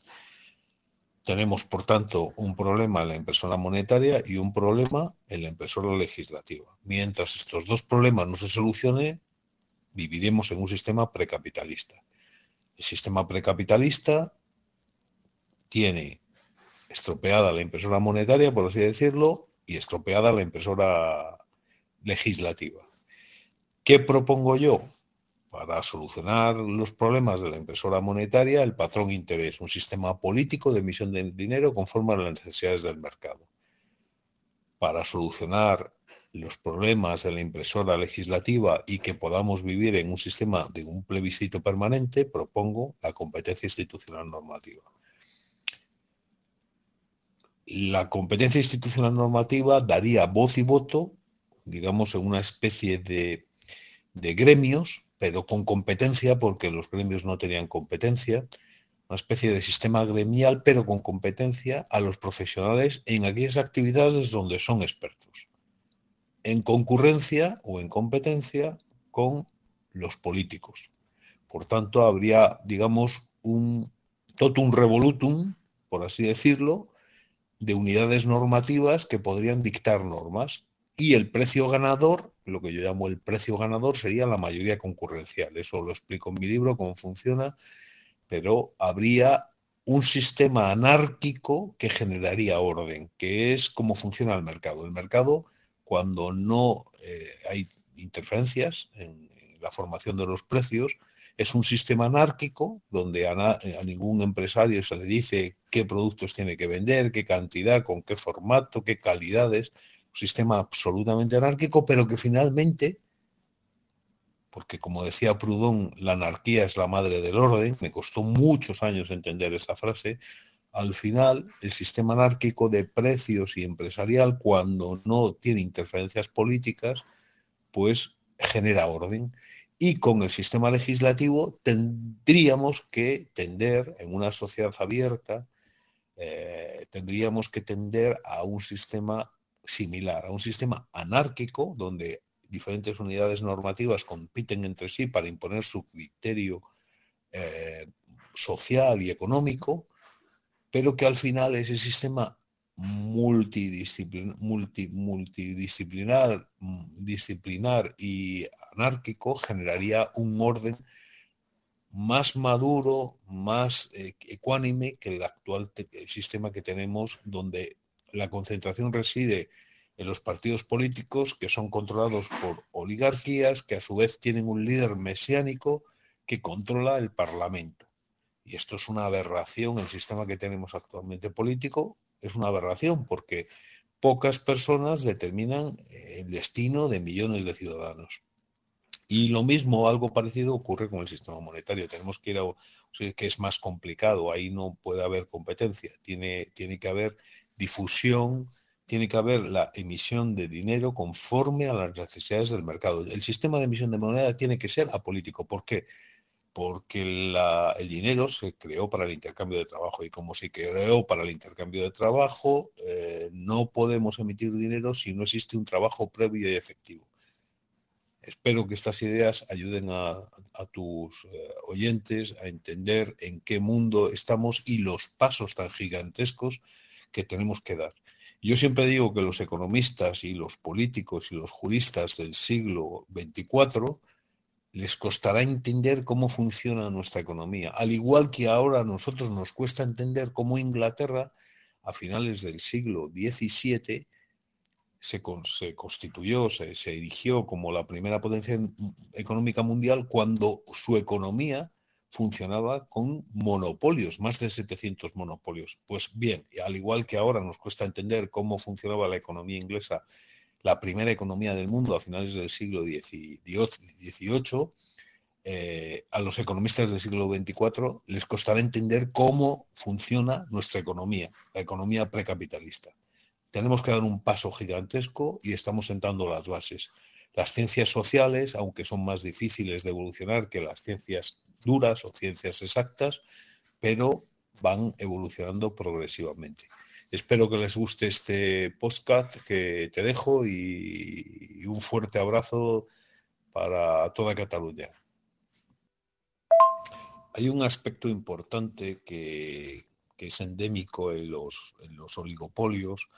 Tenemos, por tanto, un problema en la impresora monetaria y un problema en la impresora legislativa. Mientras estos dos problemas no se solucionen, viviremos en un sistema precapitalista. El sistema precapitalista tiene estropeada la impresora monetaria, por así decirlo, y estropeada la impresora legislativa. ¿Qué propongo yo? Para solucionar los problemas de la impresora monetaria, el patrón interés, un sistema político de emisión de dinero conforme a las necesidades del mercado. Para solucionar los problemas de la impresora legislativa y que podamos vivir en un sistema de un plebiscito permanente, propongo la competencia institucional normativa. La competencia institucional normativa daría voz y voto, digamos, en una especie de gremios, pero con competencia, porque los gremios no tenían competencia, una especie de sistema gremial, pero con competencia a los profesionales en aquellas actividades donde son expertos, en concurrencia o en competencia con los políticos. Por tanto, habría, digamos, un totum revolutum, por así decirlo, de unidades normativas que podrían dictar normas. Y el precio ganador, lo que yo llamo el precio ganador, sería la mayoría concurrencial. Eso lo explico en mi libro, cómo funciona, pero habría un sistema anárquico que generaría orden, que es cómo funciona el mercado. El mercado, cuando no hay interferencias en la formación de los precios, es un sistema anárquico donde a ningún empresario se le dice qué productos tiene que vender, qué cantidad, con qué formato, qué calidades. Un sistema absolutamente anárquico, pero que finalmente, porque como decía Proudhon, la anarquía es la madre del orden, me costó muchos años entender esa frase, al final el sistema anárquico de precios y empresarial, cuando no tiene interferencias políticas, pues genera orden. Y con el sistema legislativo tendríamos que tender, en una sociedad abierta, tendríamos que tender a un sistema similar, a un sistema anárquico donde diferentes unidades normativas compiten entre sí para imponer su criterio social y económico, pero que al final ese sistema multidisciplinar y anárquico generaría un orden más maduro, más ecuánime que el actual sistema que tenemos, donde la concentración reside en los partidos políticos que son controlados por oligarquías que a su vez tienen un líder mesiánico que controla el Parlamento. Y esto es una aberración, el sistema que tenemos actualmente político es una aberración porque pocas personas determinan el destino de millones de ciudadanos. Y lo mismo, algo parecido ocurre con el sistema monetario. Tenemos que ir a, o sea, que es más complicado, ahí no puede haber competencia, tiene que haber difusión, tiene que haber la emisión de dinero conforme a las necesidades del mercado. El sistema de emisión de moneda tiene que ser apolítico. ¿Por qué? Porque el dinero se creó para el intercambio de trabajo y como se creó para el intercambio de trabajo, no podemos emitir dinero si no existe un trabajo previo y efectivo. Espero que estas ideas ayuden a tus oyentes a entender en qué mundo estamos y los pasos tan gigantescos que tenemos que dar. Yo siempre digo que los economistas y los políticos y los juristas del siglo XXIV les costará entender cómo funciona nuestra economía, al igual que ahora a nosotros nos cuesta entender cómo Inglaterra, a finales del siglo XVII, se constituyó, se erigió como la primera potencia económica mundial cuando su economía funcionaba con monopolios, más de 700 monopolios. Pues bien, al igual que ahora nos cuesta entender cómo funcionaba la economía inglesa, la primera economía del mundo a finales del siglo XVIII, a los economistas del siglo XXIV les costará entender cómo funciona nuestra economía, la economía precapitalista. Tenemos que dar un paso gigantesco y estamos sentando las bases. Las ciencias sociales, aunque son más difíciles de evolucionar que las ciencias duras o ciencias exactas, pero van evolucionando progresivamente. Espero que les guste este podcast que te dejo y un fuerte abrazo para toda Cataluña. Hay un aspecto importante que es endémico en los oligopolios.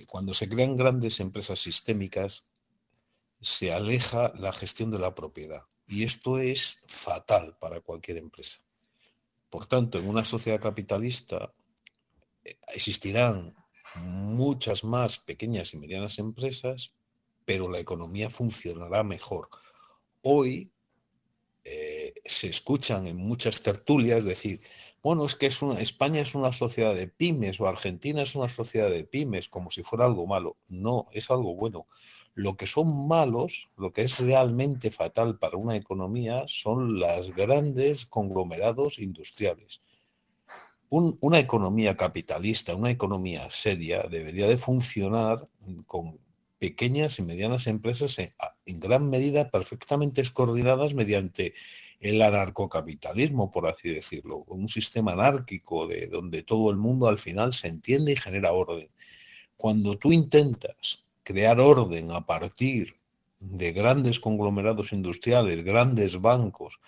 Cuando se crean grandes empresas sistémicas, se aleja la gestión de la propiedad. Y esto es fatal para cualquier empresa. Por tanto, en una sociedad capitalista existirán muchas más pequeñas y medianas empresas, pero la economía funcionará mejor. Hoy se escuchan en muchas tertulias decir, bueno, es que España es una sociedad de pymes o Argentina es una sociedad de pymes, como si fuera algo malo. No, es algo bueno. Lo que son malos, lo que es realmente fatal para una economía son los grandes conglomerados industriales. Una economía capitalista, una economía seria, debería de funcionar con pequeñas y medianas empresas en gran medida perfectamente coordinadas mediante el anarcocapitalismo, por así decirlo, un sistema anárquico donde todo el mundo al final se entiende y genera orden. Cuando tú intentas crear orden a partir de grandes conglomerados industriales, grandes bancos,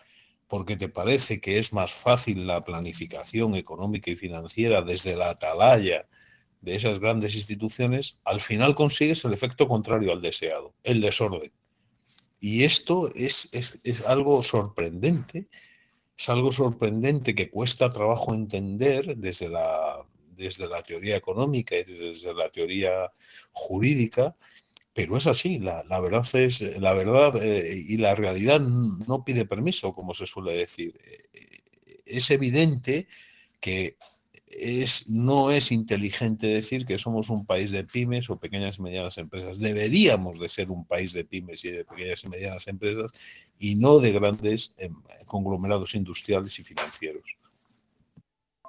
porque te parece que es más fácil la planificación económica y financiera desde la atalaya de esas grandes instituciones, al final consigues el efecto contrario al deseado, el desorden. Y esto es algo sorprendente, que cuesta trabajo entender desde la teoría económica y desde la teoría jurídica, pero es así, la verdad y la realidad no pide permiso, como se suele decir. Es evidente que no es inteligente decir que somos un país de pymes o pequeñas y medianas empresas. Deberíamos de ser un país de pymes y de pequeñas y medianas empresas y no de grandes conglomerados industrials i financieros.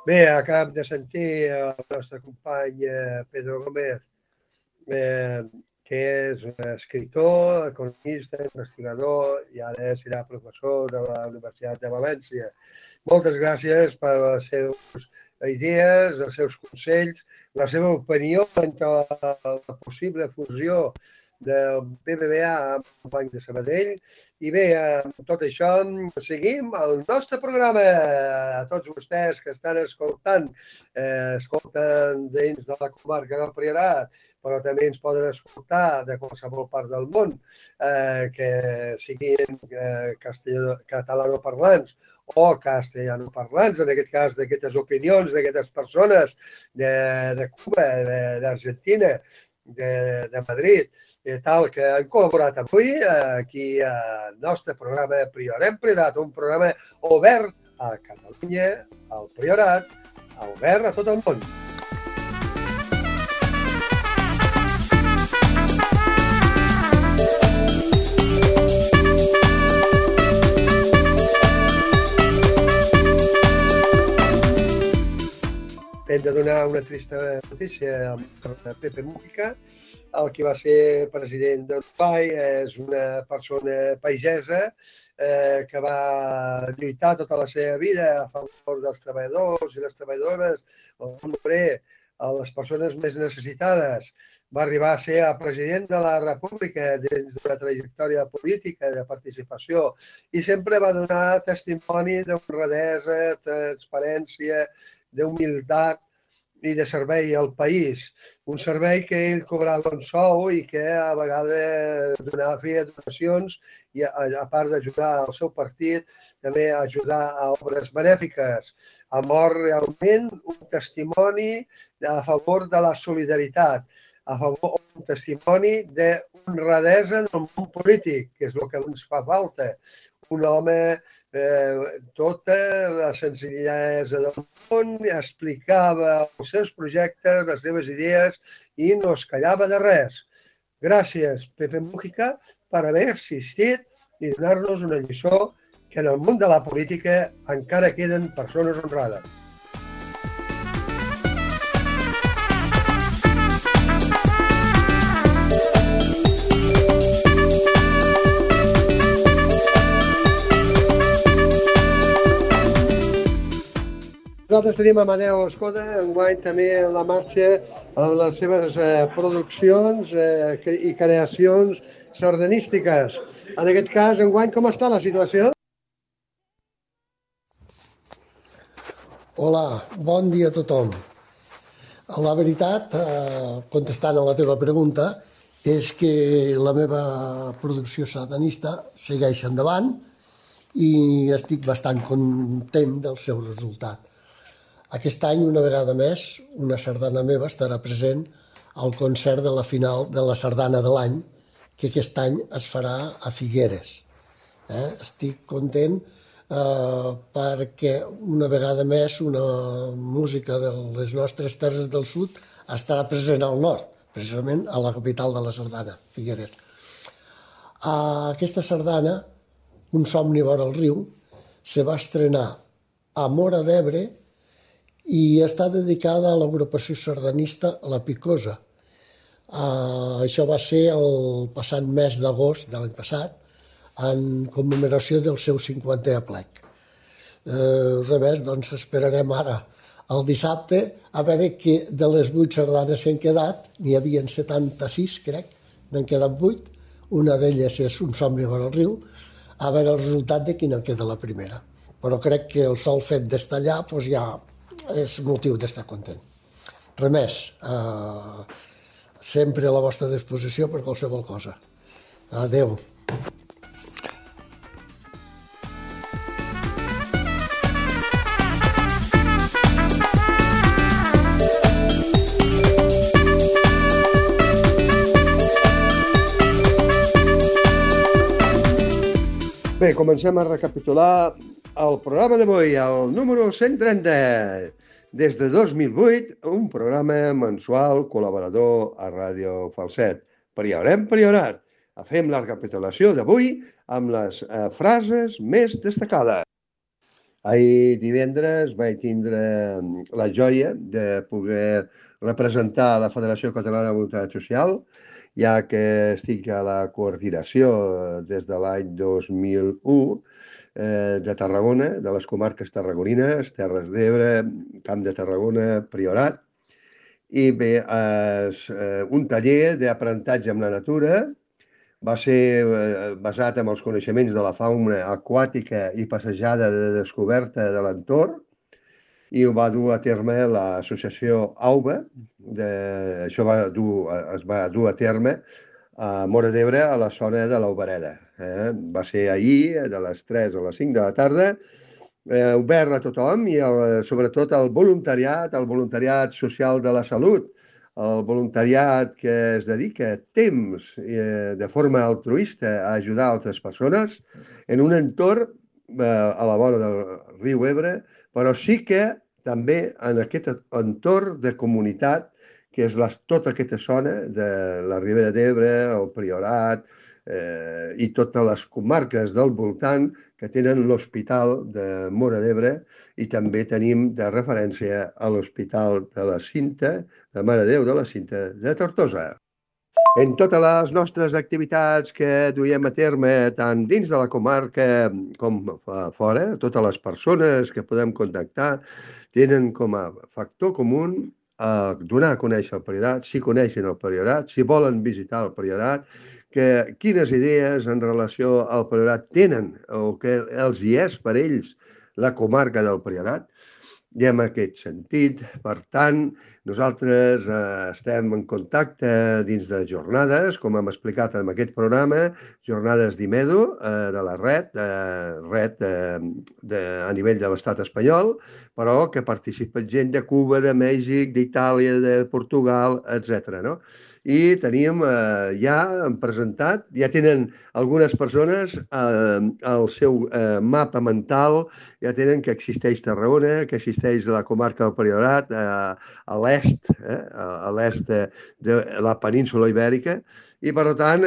Bé, acabem de sentir el nostre company Pedro Gómez, que és escritor, economista, investigador i ara serà professor de la Universitat de València. Moltes gràcies per les seves idees, els seus consells, la seva opinió entre la possible fusió del BBVA amb el Banc de Sabadell. I bé, amb tot això, seguim el nostre programa. A tots vostès que estan escolten dins de la comarca del Priorat, però també ens poden escoltar de qualsevol part del món, que siguin catalanoparlants o castellanoparlants, en aquest cas d'aquestes opinions d'aquestes persones de Cuba, d'Argentina, de Madrid, tal que han col·laborat avui aquí al nostre programa Prior Priorat, un programa obert a Catalunya, al Priorat, obert a tot el món. Hem de donar una trista notícia a Pepe Mujica, el que va ser president d'Uruguai. És una persona pagesa que va lluitar tota la seva vida a favor dels treballadors i les treballadores, el món obrer, a les persones més necessitades. Va arribar a ser el president de la República dins d'una trajectòria política de participació i sempre va donar testimoni d'honradesa, transparència, d'humilitat i de servei al país. Un servei que ell cobrava un sou i que a vegades feia donacions i a part d'ajudar el seu partit, també ajudar a obres benèfiques. Ha mort realment un testimoni a favor de la solidaritat, un testimoni d'honradesa en el món polític, que és el que ens fa falta. Un home tota la senzillesa del món, explicava els seus projectes, les seves idees i no es callava de res. Gràcies, Pepe Mujica, per haver assistit i donar-nos una lliçó que en el món de la política encara queden persones honrades. nosaltres tenim Amadeu Escoda, enguany també en la marxa amb les seves produccions i creacions sardanístiques. En aquest cas, enguany, com està la situació? Hola, bon dia a tothom. La veritat, contestant a la teva pregunta, és que la meva producció sardanista segueix endavant i estic bastant content del seu resultat. Aquest any, una vegada més, una sardana meva estarà present al concert de la final de la sardana de l'any, que aquest any es farà a Figueres. Estic content perquè una vegada més una música de les nostres terres del sud estarà present al nord, precisament a la capital de la sardana, Figueres. Aquesta sardana, Un somni vora el riu, se va estrenar a Móra d'Ebre i està dedicada a l'agrupació sardanista La Picosa. Això va ser el passat mes d'agost de l'any passat, en commemoració del seu 50è aplec. Res més, doncs esperarem ara el dissabte a veure que de les 8 sardanes que han quedat, n'hi havia 76, crec, n'han quedat 8, una d'elles és Un somni vora el riu, a veure el resultat de quina queda la primera. Però crec que el sol fet d'estar allà ja és motiu d'estar content. Res més, sempre a la vostra disposició per qualsevol cosa. Adéu. Bé, comencem a recapitular el programa d'avui, el número 130. Des de 2008, un programa mensual col·laborador a Ràdio Falset. Priorat. Fem la recapitulació d'avui amb les frases més destacades. Ahir divendres vaig tindre la joia de poder representar la Federació Catalana de Voluntat Social, ja que estic a la coordinació des de l'any 2001 de Tarragona, de les comarques tarragonines, Terres d'Ebre, Camp de Tarragona, Priorat. I bé, un taller d'aprenentatge amb la natura va ser basat en els coneixements de la fauna aquàtica i passejada de descoberta de l'entorn, i ho va dur a terme l'associació AUBA. Això es va dur a terme a Móra d'Ebre, a la zona de l'Albereda. Va ser ahir, de les 3 a les 5 de la tarda, obert a tothom i sobretot al voluntariat social de la salut, el voluntariat que es dedica temps de forma altruista a ajudar altres persones en un entorn a la vora del riu Ebre, però sí que també en aquest entorn de comunitat, que és tota aquesta zona de la Ribera d'Ebre, el Priorat i totes les comarques del voltant que tenen l'Hospital de Móra d'Ebre, i també tenim de referència a l'Hospital de la Cinta, de Mare de Déu de la Cinta de Tortosa. En totes les nostres activitats que duiem a terme, tant dins de la comarca com fora, totes les persones que podem contactar tenen com a factor comú donar a conèixer el Priorat, si coneixen el Priorat, si volen visitar el Priorat, quines idees en relació al Priorat tenen o que els hi és per ells la comarca del Priorat. I en aquest sentit, per tant, nosaltres estem en contacte dins de jornades, com hem explicat en aquest programa, jornades d'IMEDO de la red a nivell de l'estat espanyol, però que participa gent de Cuba, de Mèxic, d'Itàlia, de Portugal, etc. I teníem, ja hem presentat, ja tenen algunes persones el seu mapa mental, ja tenen que existeix Tarragona, que existeix la comarca del Priorat, a l'est de la península Ibèrica, i per tant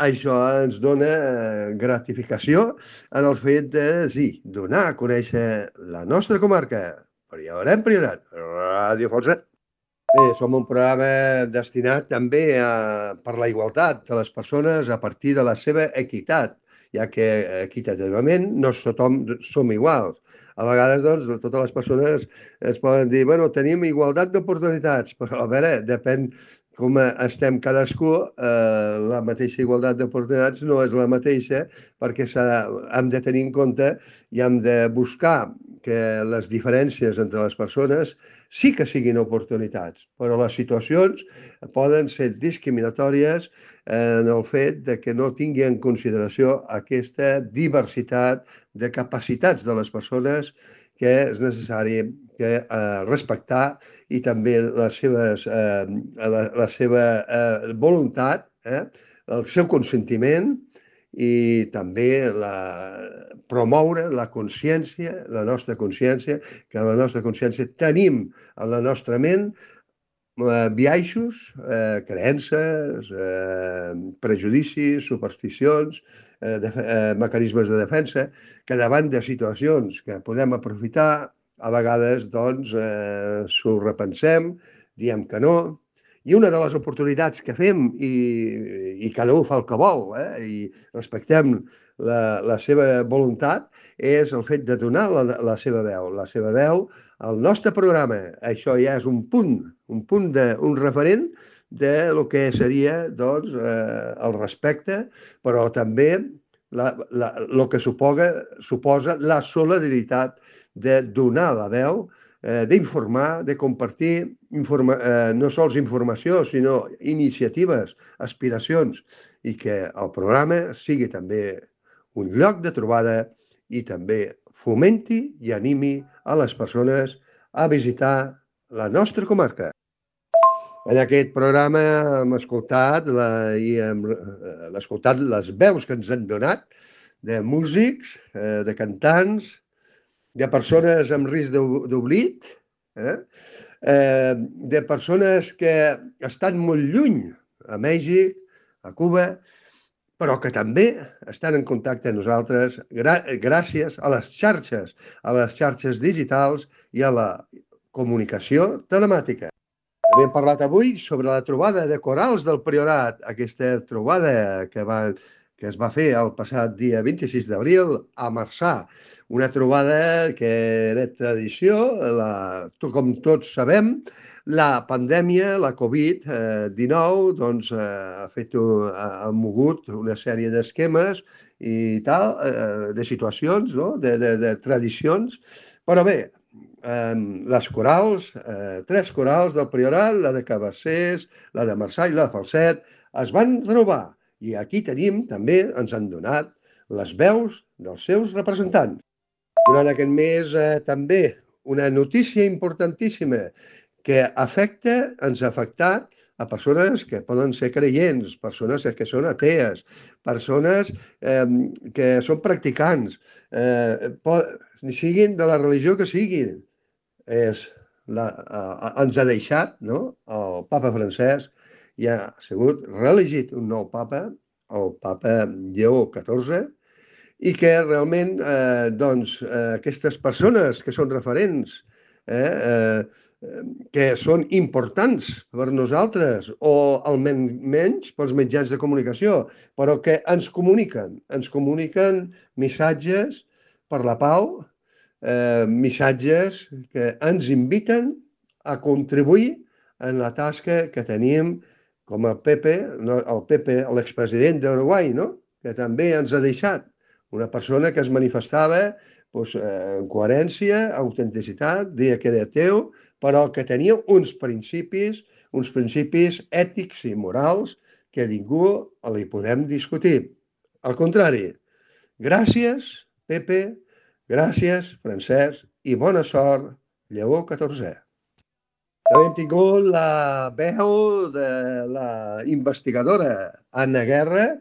això ens dona gratificació en el fet de donar a conèixer la nostra comarca. Priorat, Ràdio Falset. Bé, som un programa destinat també per la igualtat de les persones a partir de la seva equitat, ja que equitativament no tothom som iguals. A vegades, doncs, totes les persones es poden dir, bueno, tenim igualtat d'oportunitats, però a veure, depèn com estem cadascú, la mateixa igualtat d'oportunitats no és la mateixa, perquè hem de tenir en compte i hem de buscar que les diferències entre les persones sí que siguin oportunitats, però les situacions poden ser discriminatòries en el fet de que no tingui en consideració aquesta diversitat de capacitats de les persones que és necessari respectar i també la seva voluntat, el seu consentiment i també promoure la consciència, la nostra consciència, que la nostra consciència tenim en la nostra ment biaixos, creences, prejudicis, supersticions, mecanismes de defensa, que davant de situacions que podem aprofitar, a vegades doncs s'ho repensem, diem que no, i una de les oportunitats que fem, i cada un fa el que vol, i respectem la seva voluntat, és el fet de donar la seva veu al nostre programa. Això ja és un referent de lo que seria doncs, el respecte, però també el que suposa la solidaritat de donar la veu, d'informar, de compartir no sols informació, sinó iniciatives, aspiracions, i que el programa sigui també un lloc de trobada i també fomenti i animi a les persones a visitar la nostra comarca. En aquest programa hem escoltat les veus que ens han donat de músics, de cantants, de persones amb risc d'oblit, de persones que estan molt lluny, a Mèxic, a Cuba, però que també estan en contacte amb nosaltres gràcies a les xarxes digitals i a la comunicació telemàtica. També hem parlat avui sobre la trobada de corals del Priorat, aquesta trobada que es va fer el passat dia 26 d'abril a Marçà. Una trobada que era tradició, com tots sabem, la pandèmia, la Covid-19, doncs ha mogut una sèrie d'esquemes i tal, de situacions, de tradicions, però bé, les corals, 3 corals del Priorat, la de Cabassers, la de Marçà i la de Falset, es van trobar i aquí tenim, també ens han donat les veus dels seus representants. Durant aquest mes també una notícia importantíssima que ens ha afectat a persones que poden ser creients, persones que són atees, persones que són practicants, siguin de la religió que siguin. Ens ha deixat, el papa Francesc ja ha sigut reelegit un nou papa, el papa Lleó XIV, i que realment aquestes persones que són referents, que són importants per nosaltres o almenys pels mitjans de comunicació, però que ens comuniquen missatges per la pau, missatges que ens inviten a contribuir en la tasca que tenim com el Pepe, l'expresident d'Uruguai, que també ens ha deixat una persona que es manifestava en coherència, autenticitat, deia que era ateu, però que tenia uns principis ètics i morals que a ningú li podem discutir. Al contrari, gràcies, Pepe, gràcies, Francesc, i bona sort, Lleó XIV. També hem tingut la veu de la investigadora Anna Guerra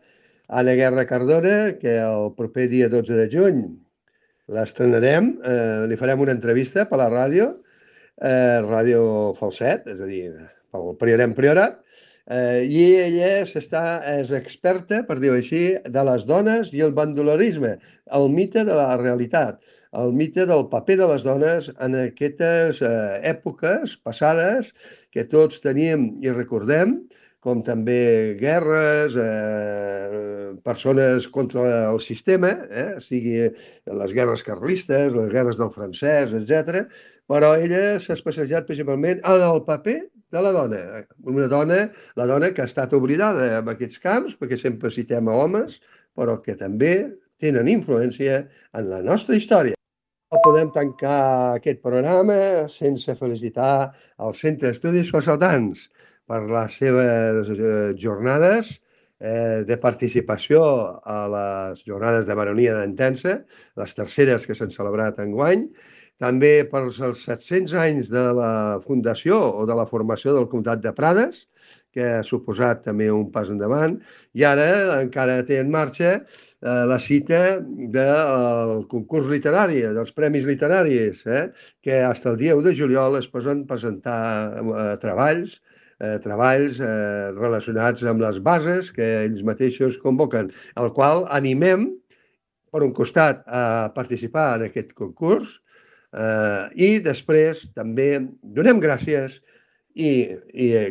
Cardona, que el proper dia 12 de juny l'estrenarem, li farem una entrevista per la ràdio, Ràdio Falset, és a dir, pel Priorat, i ella és experta, per dir-ho així, de les dones i el bandolerisme, el mite de la realitat, el mite del paper de les dones en aquestes èpoques passades que tots tenim i recordem, com també guerres, persones contra el sistema, sigui les guerres carlistes, les guerres del francès, etc. Però ella s'ha especialitzat principalment en el paper de la dona. La dona que ha estat oblidada en aquests camps, perquè sempre citem a homes, però que també tenen influència en la nostra història. No podem tancar aquest programa sense felicitar el Centre d'Estudis Consaltants per les seves jornades de participació a les jornades de baronia d'Entença, les terceres que s'han celebrat enguany, també pels 700 anys de la fundació o de la formació del Comtat de Prades, que ha suposat també un pas endavant, i ara encara té en marxa la cita del concurs literari, dels premis literaris, que fins al dia 1 de juliol es poden presentar treballs relacionats amb les bases que ells mateixos convoquen, el qual animem, per un costat, a participar en aquest concurs i després també donem gràcies i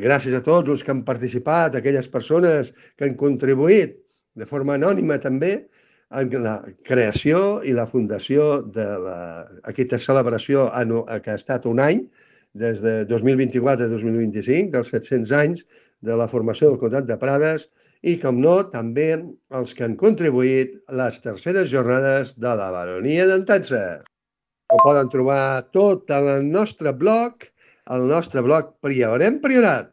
gràcies a tots els que han participat, aquelles persones que han contribuït de forma anònima també en la creació i la fundació d'aquesta celebració que ha estat un any, des de 2024 a 2025, dels 700 anys de la formació del Comtat de Prades i, com no, també els que han contribuït a les terceres jornades de la baronia d'Entença. Ho poden trobar tot al nostre blog Priorem Priorat,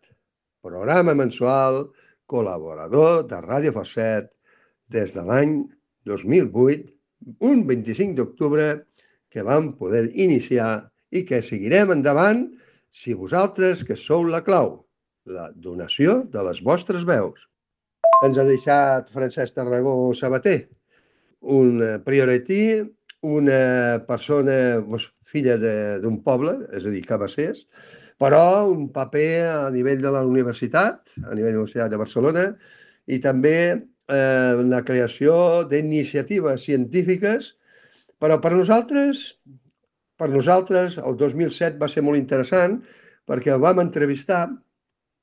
programa mensual col·laborador de Ràdio Falset des de l'any 2008, un 25 d'octubre que vam poder iniciar i que seguirem endavant si vosaltres que sou la clau, la donació de les vostres veus. Ens ha deixat Francesc Tarragó Sabater, un prioretí, una persona filla d'un poble, és a dir, Cabassers, però un paper a nivell de la universitat, a nivell de la Universitat de Barcelona, i també la creació d'iniciatives científiques, però per nosaltres el 2007 va ser molt interessant perquè el vam entrevistar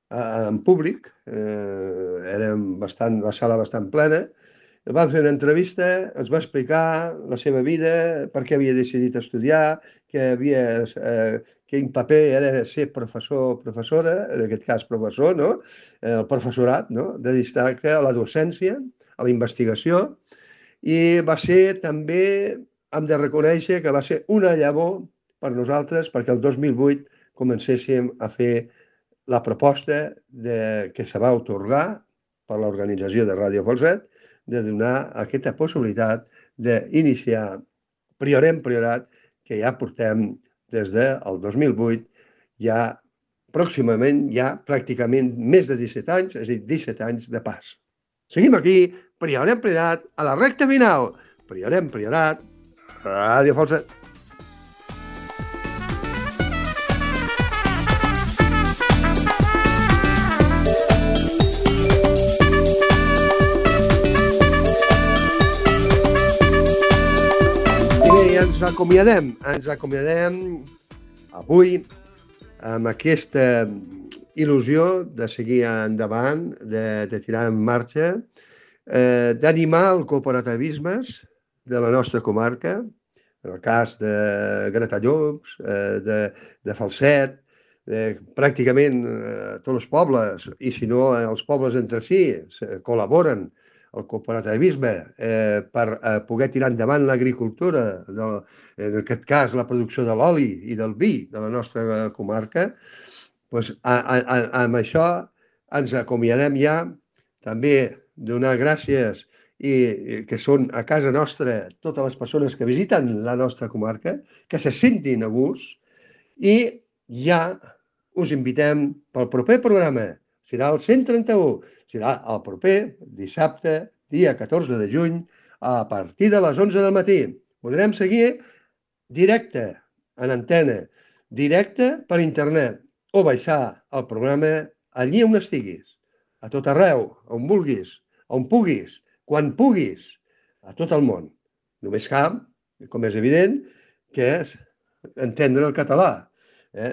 en públic, era la sala bastant plena, vam fer una entrevista, ens va explicar la seva vida, per què havia decidit estudiar, quin paper era ser professor o professora, en aquest cas professor, no? El professorat, no? De destacar a la docència, a la investigació, i va ser també, hem de reconèixer que va ser una llavor per nosaltres perquè el 2008 comencéssim a fer la proposta que se va atorgar per l'organització de Ràdio Falset de donar aquesta possibilitat d'iniciar Priorem Priorat, que ja portem des del 2008, ja pròximament, ja pràcticament més de 17 anys, és a dir, 17 anys de pas. Seguim aquí, Priorem Priorat, a la recta final. Priorem Priorat, Ràdio Falset. Ens acomiadem avui amb aquesta il·lusió de seguir endavant, de tirar en marxa, d'animar el cooperativisme de la nostra comarca, en el cas de Gratallops, de Falset, pràcticament tots els pobles, i si no els pobles entre si, col·laboren el cooperativisme per poder tirar endavant l'agricultura, en aquest cas la producció de l'oli i del vi de la nostra comarca, doncs amb això ens acomiadem ja, també donar gràcies i que són a casa nostra totes les persones que visiten la nostra comarca, que se sentin a gust, i ja us invitem pel proper programa. Serà el 131, serà el proper dissabte, dia 14 de juny, a partir de les 11 del matí. Podrem seguir directe, en antena, directe per internet, o baixar el programa allí on estiguis, a tot arreu, on vulguis, on puguis, quan puguis, a tot el món. Només cal, com és evident, que és entendre el català.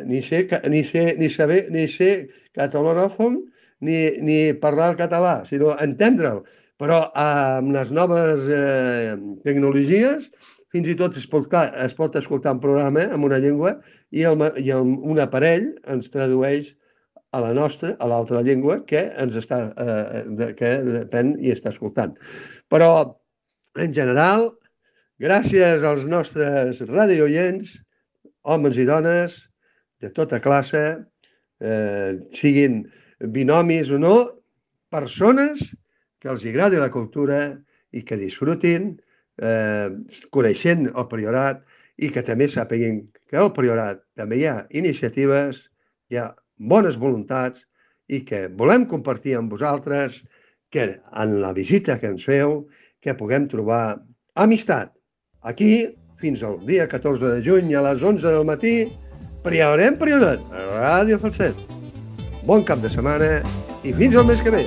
Ni ser catalanòfon, ni parlar el català, sinó entendre'l. Però amb les noves tecnologies, fins i tot es pot escoltar un programa en una llengua i un aparell ens tradueix a la nostra, a l'altra llengua que depèn i està escoltant. Però, en general, gràcies als nostres radiooients, homes i dones, de tota classe, siguin binomis o no, persones que els agradi la cultura i que disfrutin coneixent el Priorat i que també sàpiguen que al Priorat també hi ha iniciatives, hi ha bones voluntats i que volem compartir amb vosaltres que en la visita que ens feu que puguem trobar amistat. Aquí, fins al dia 14 de juny a les 11 del matí, Priorat, a Ràdio Falset. Bon cap de setmana i fins al mes que ve.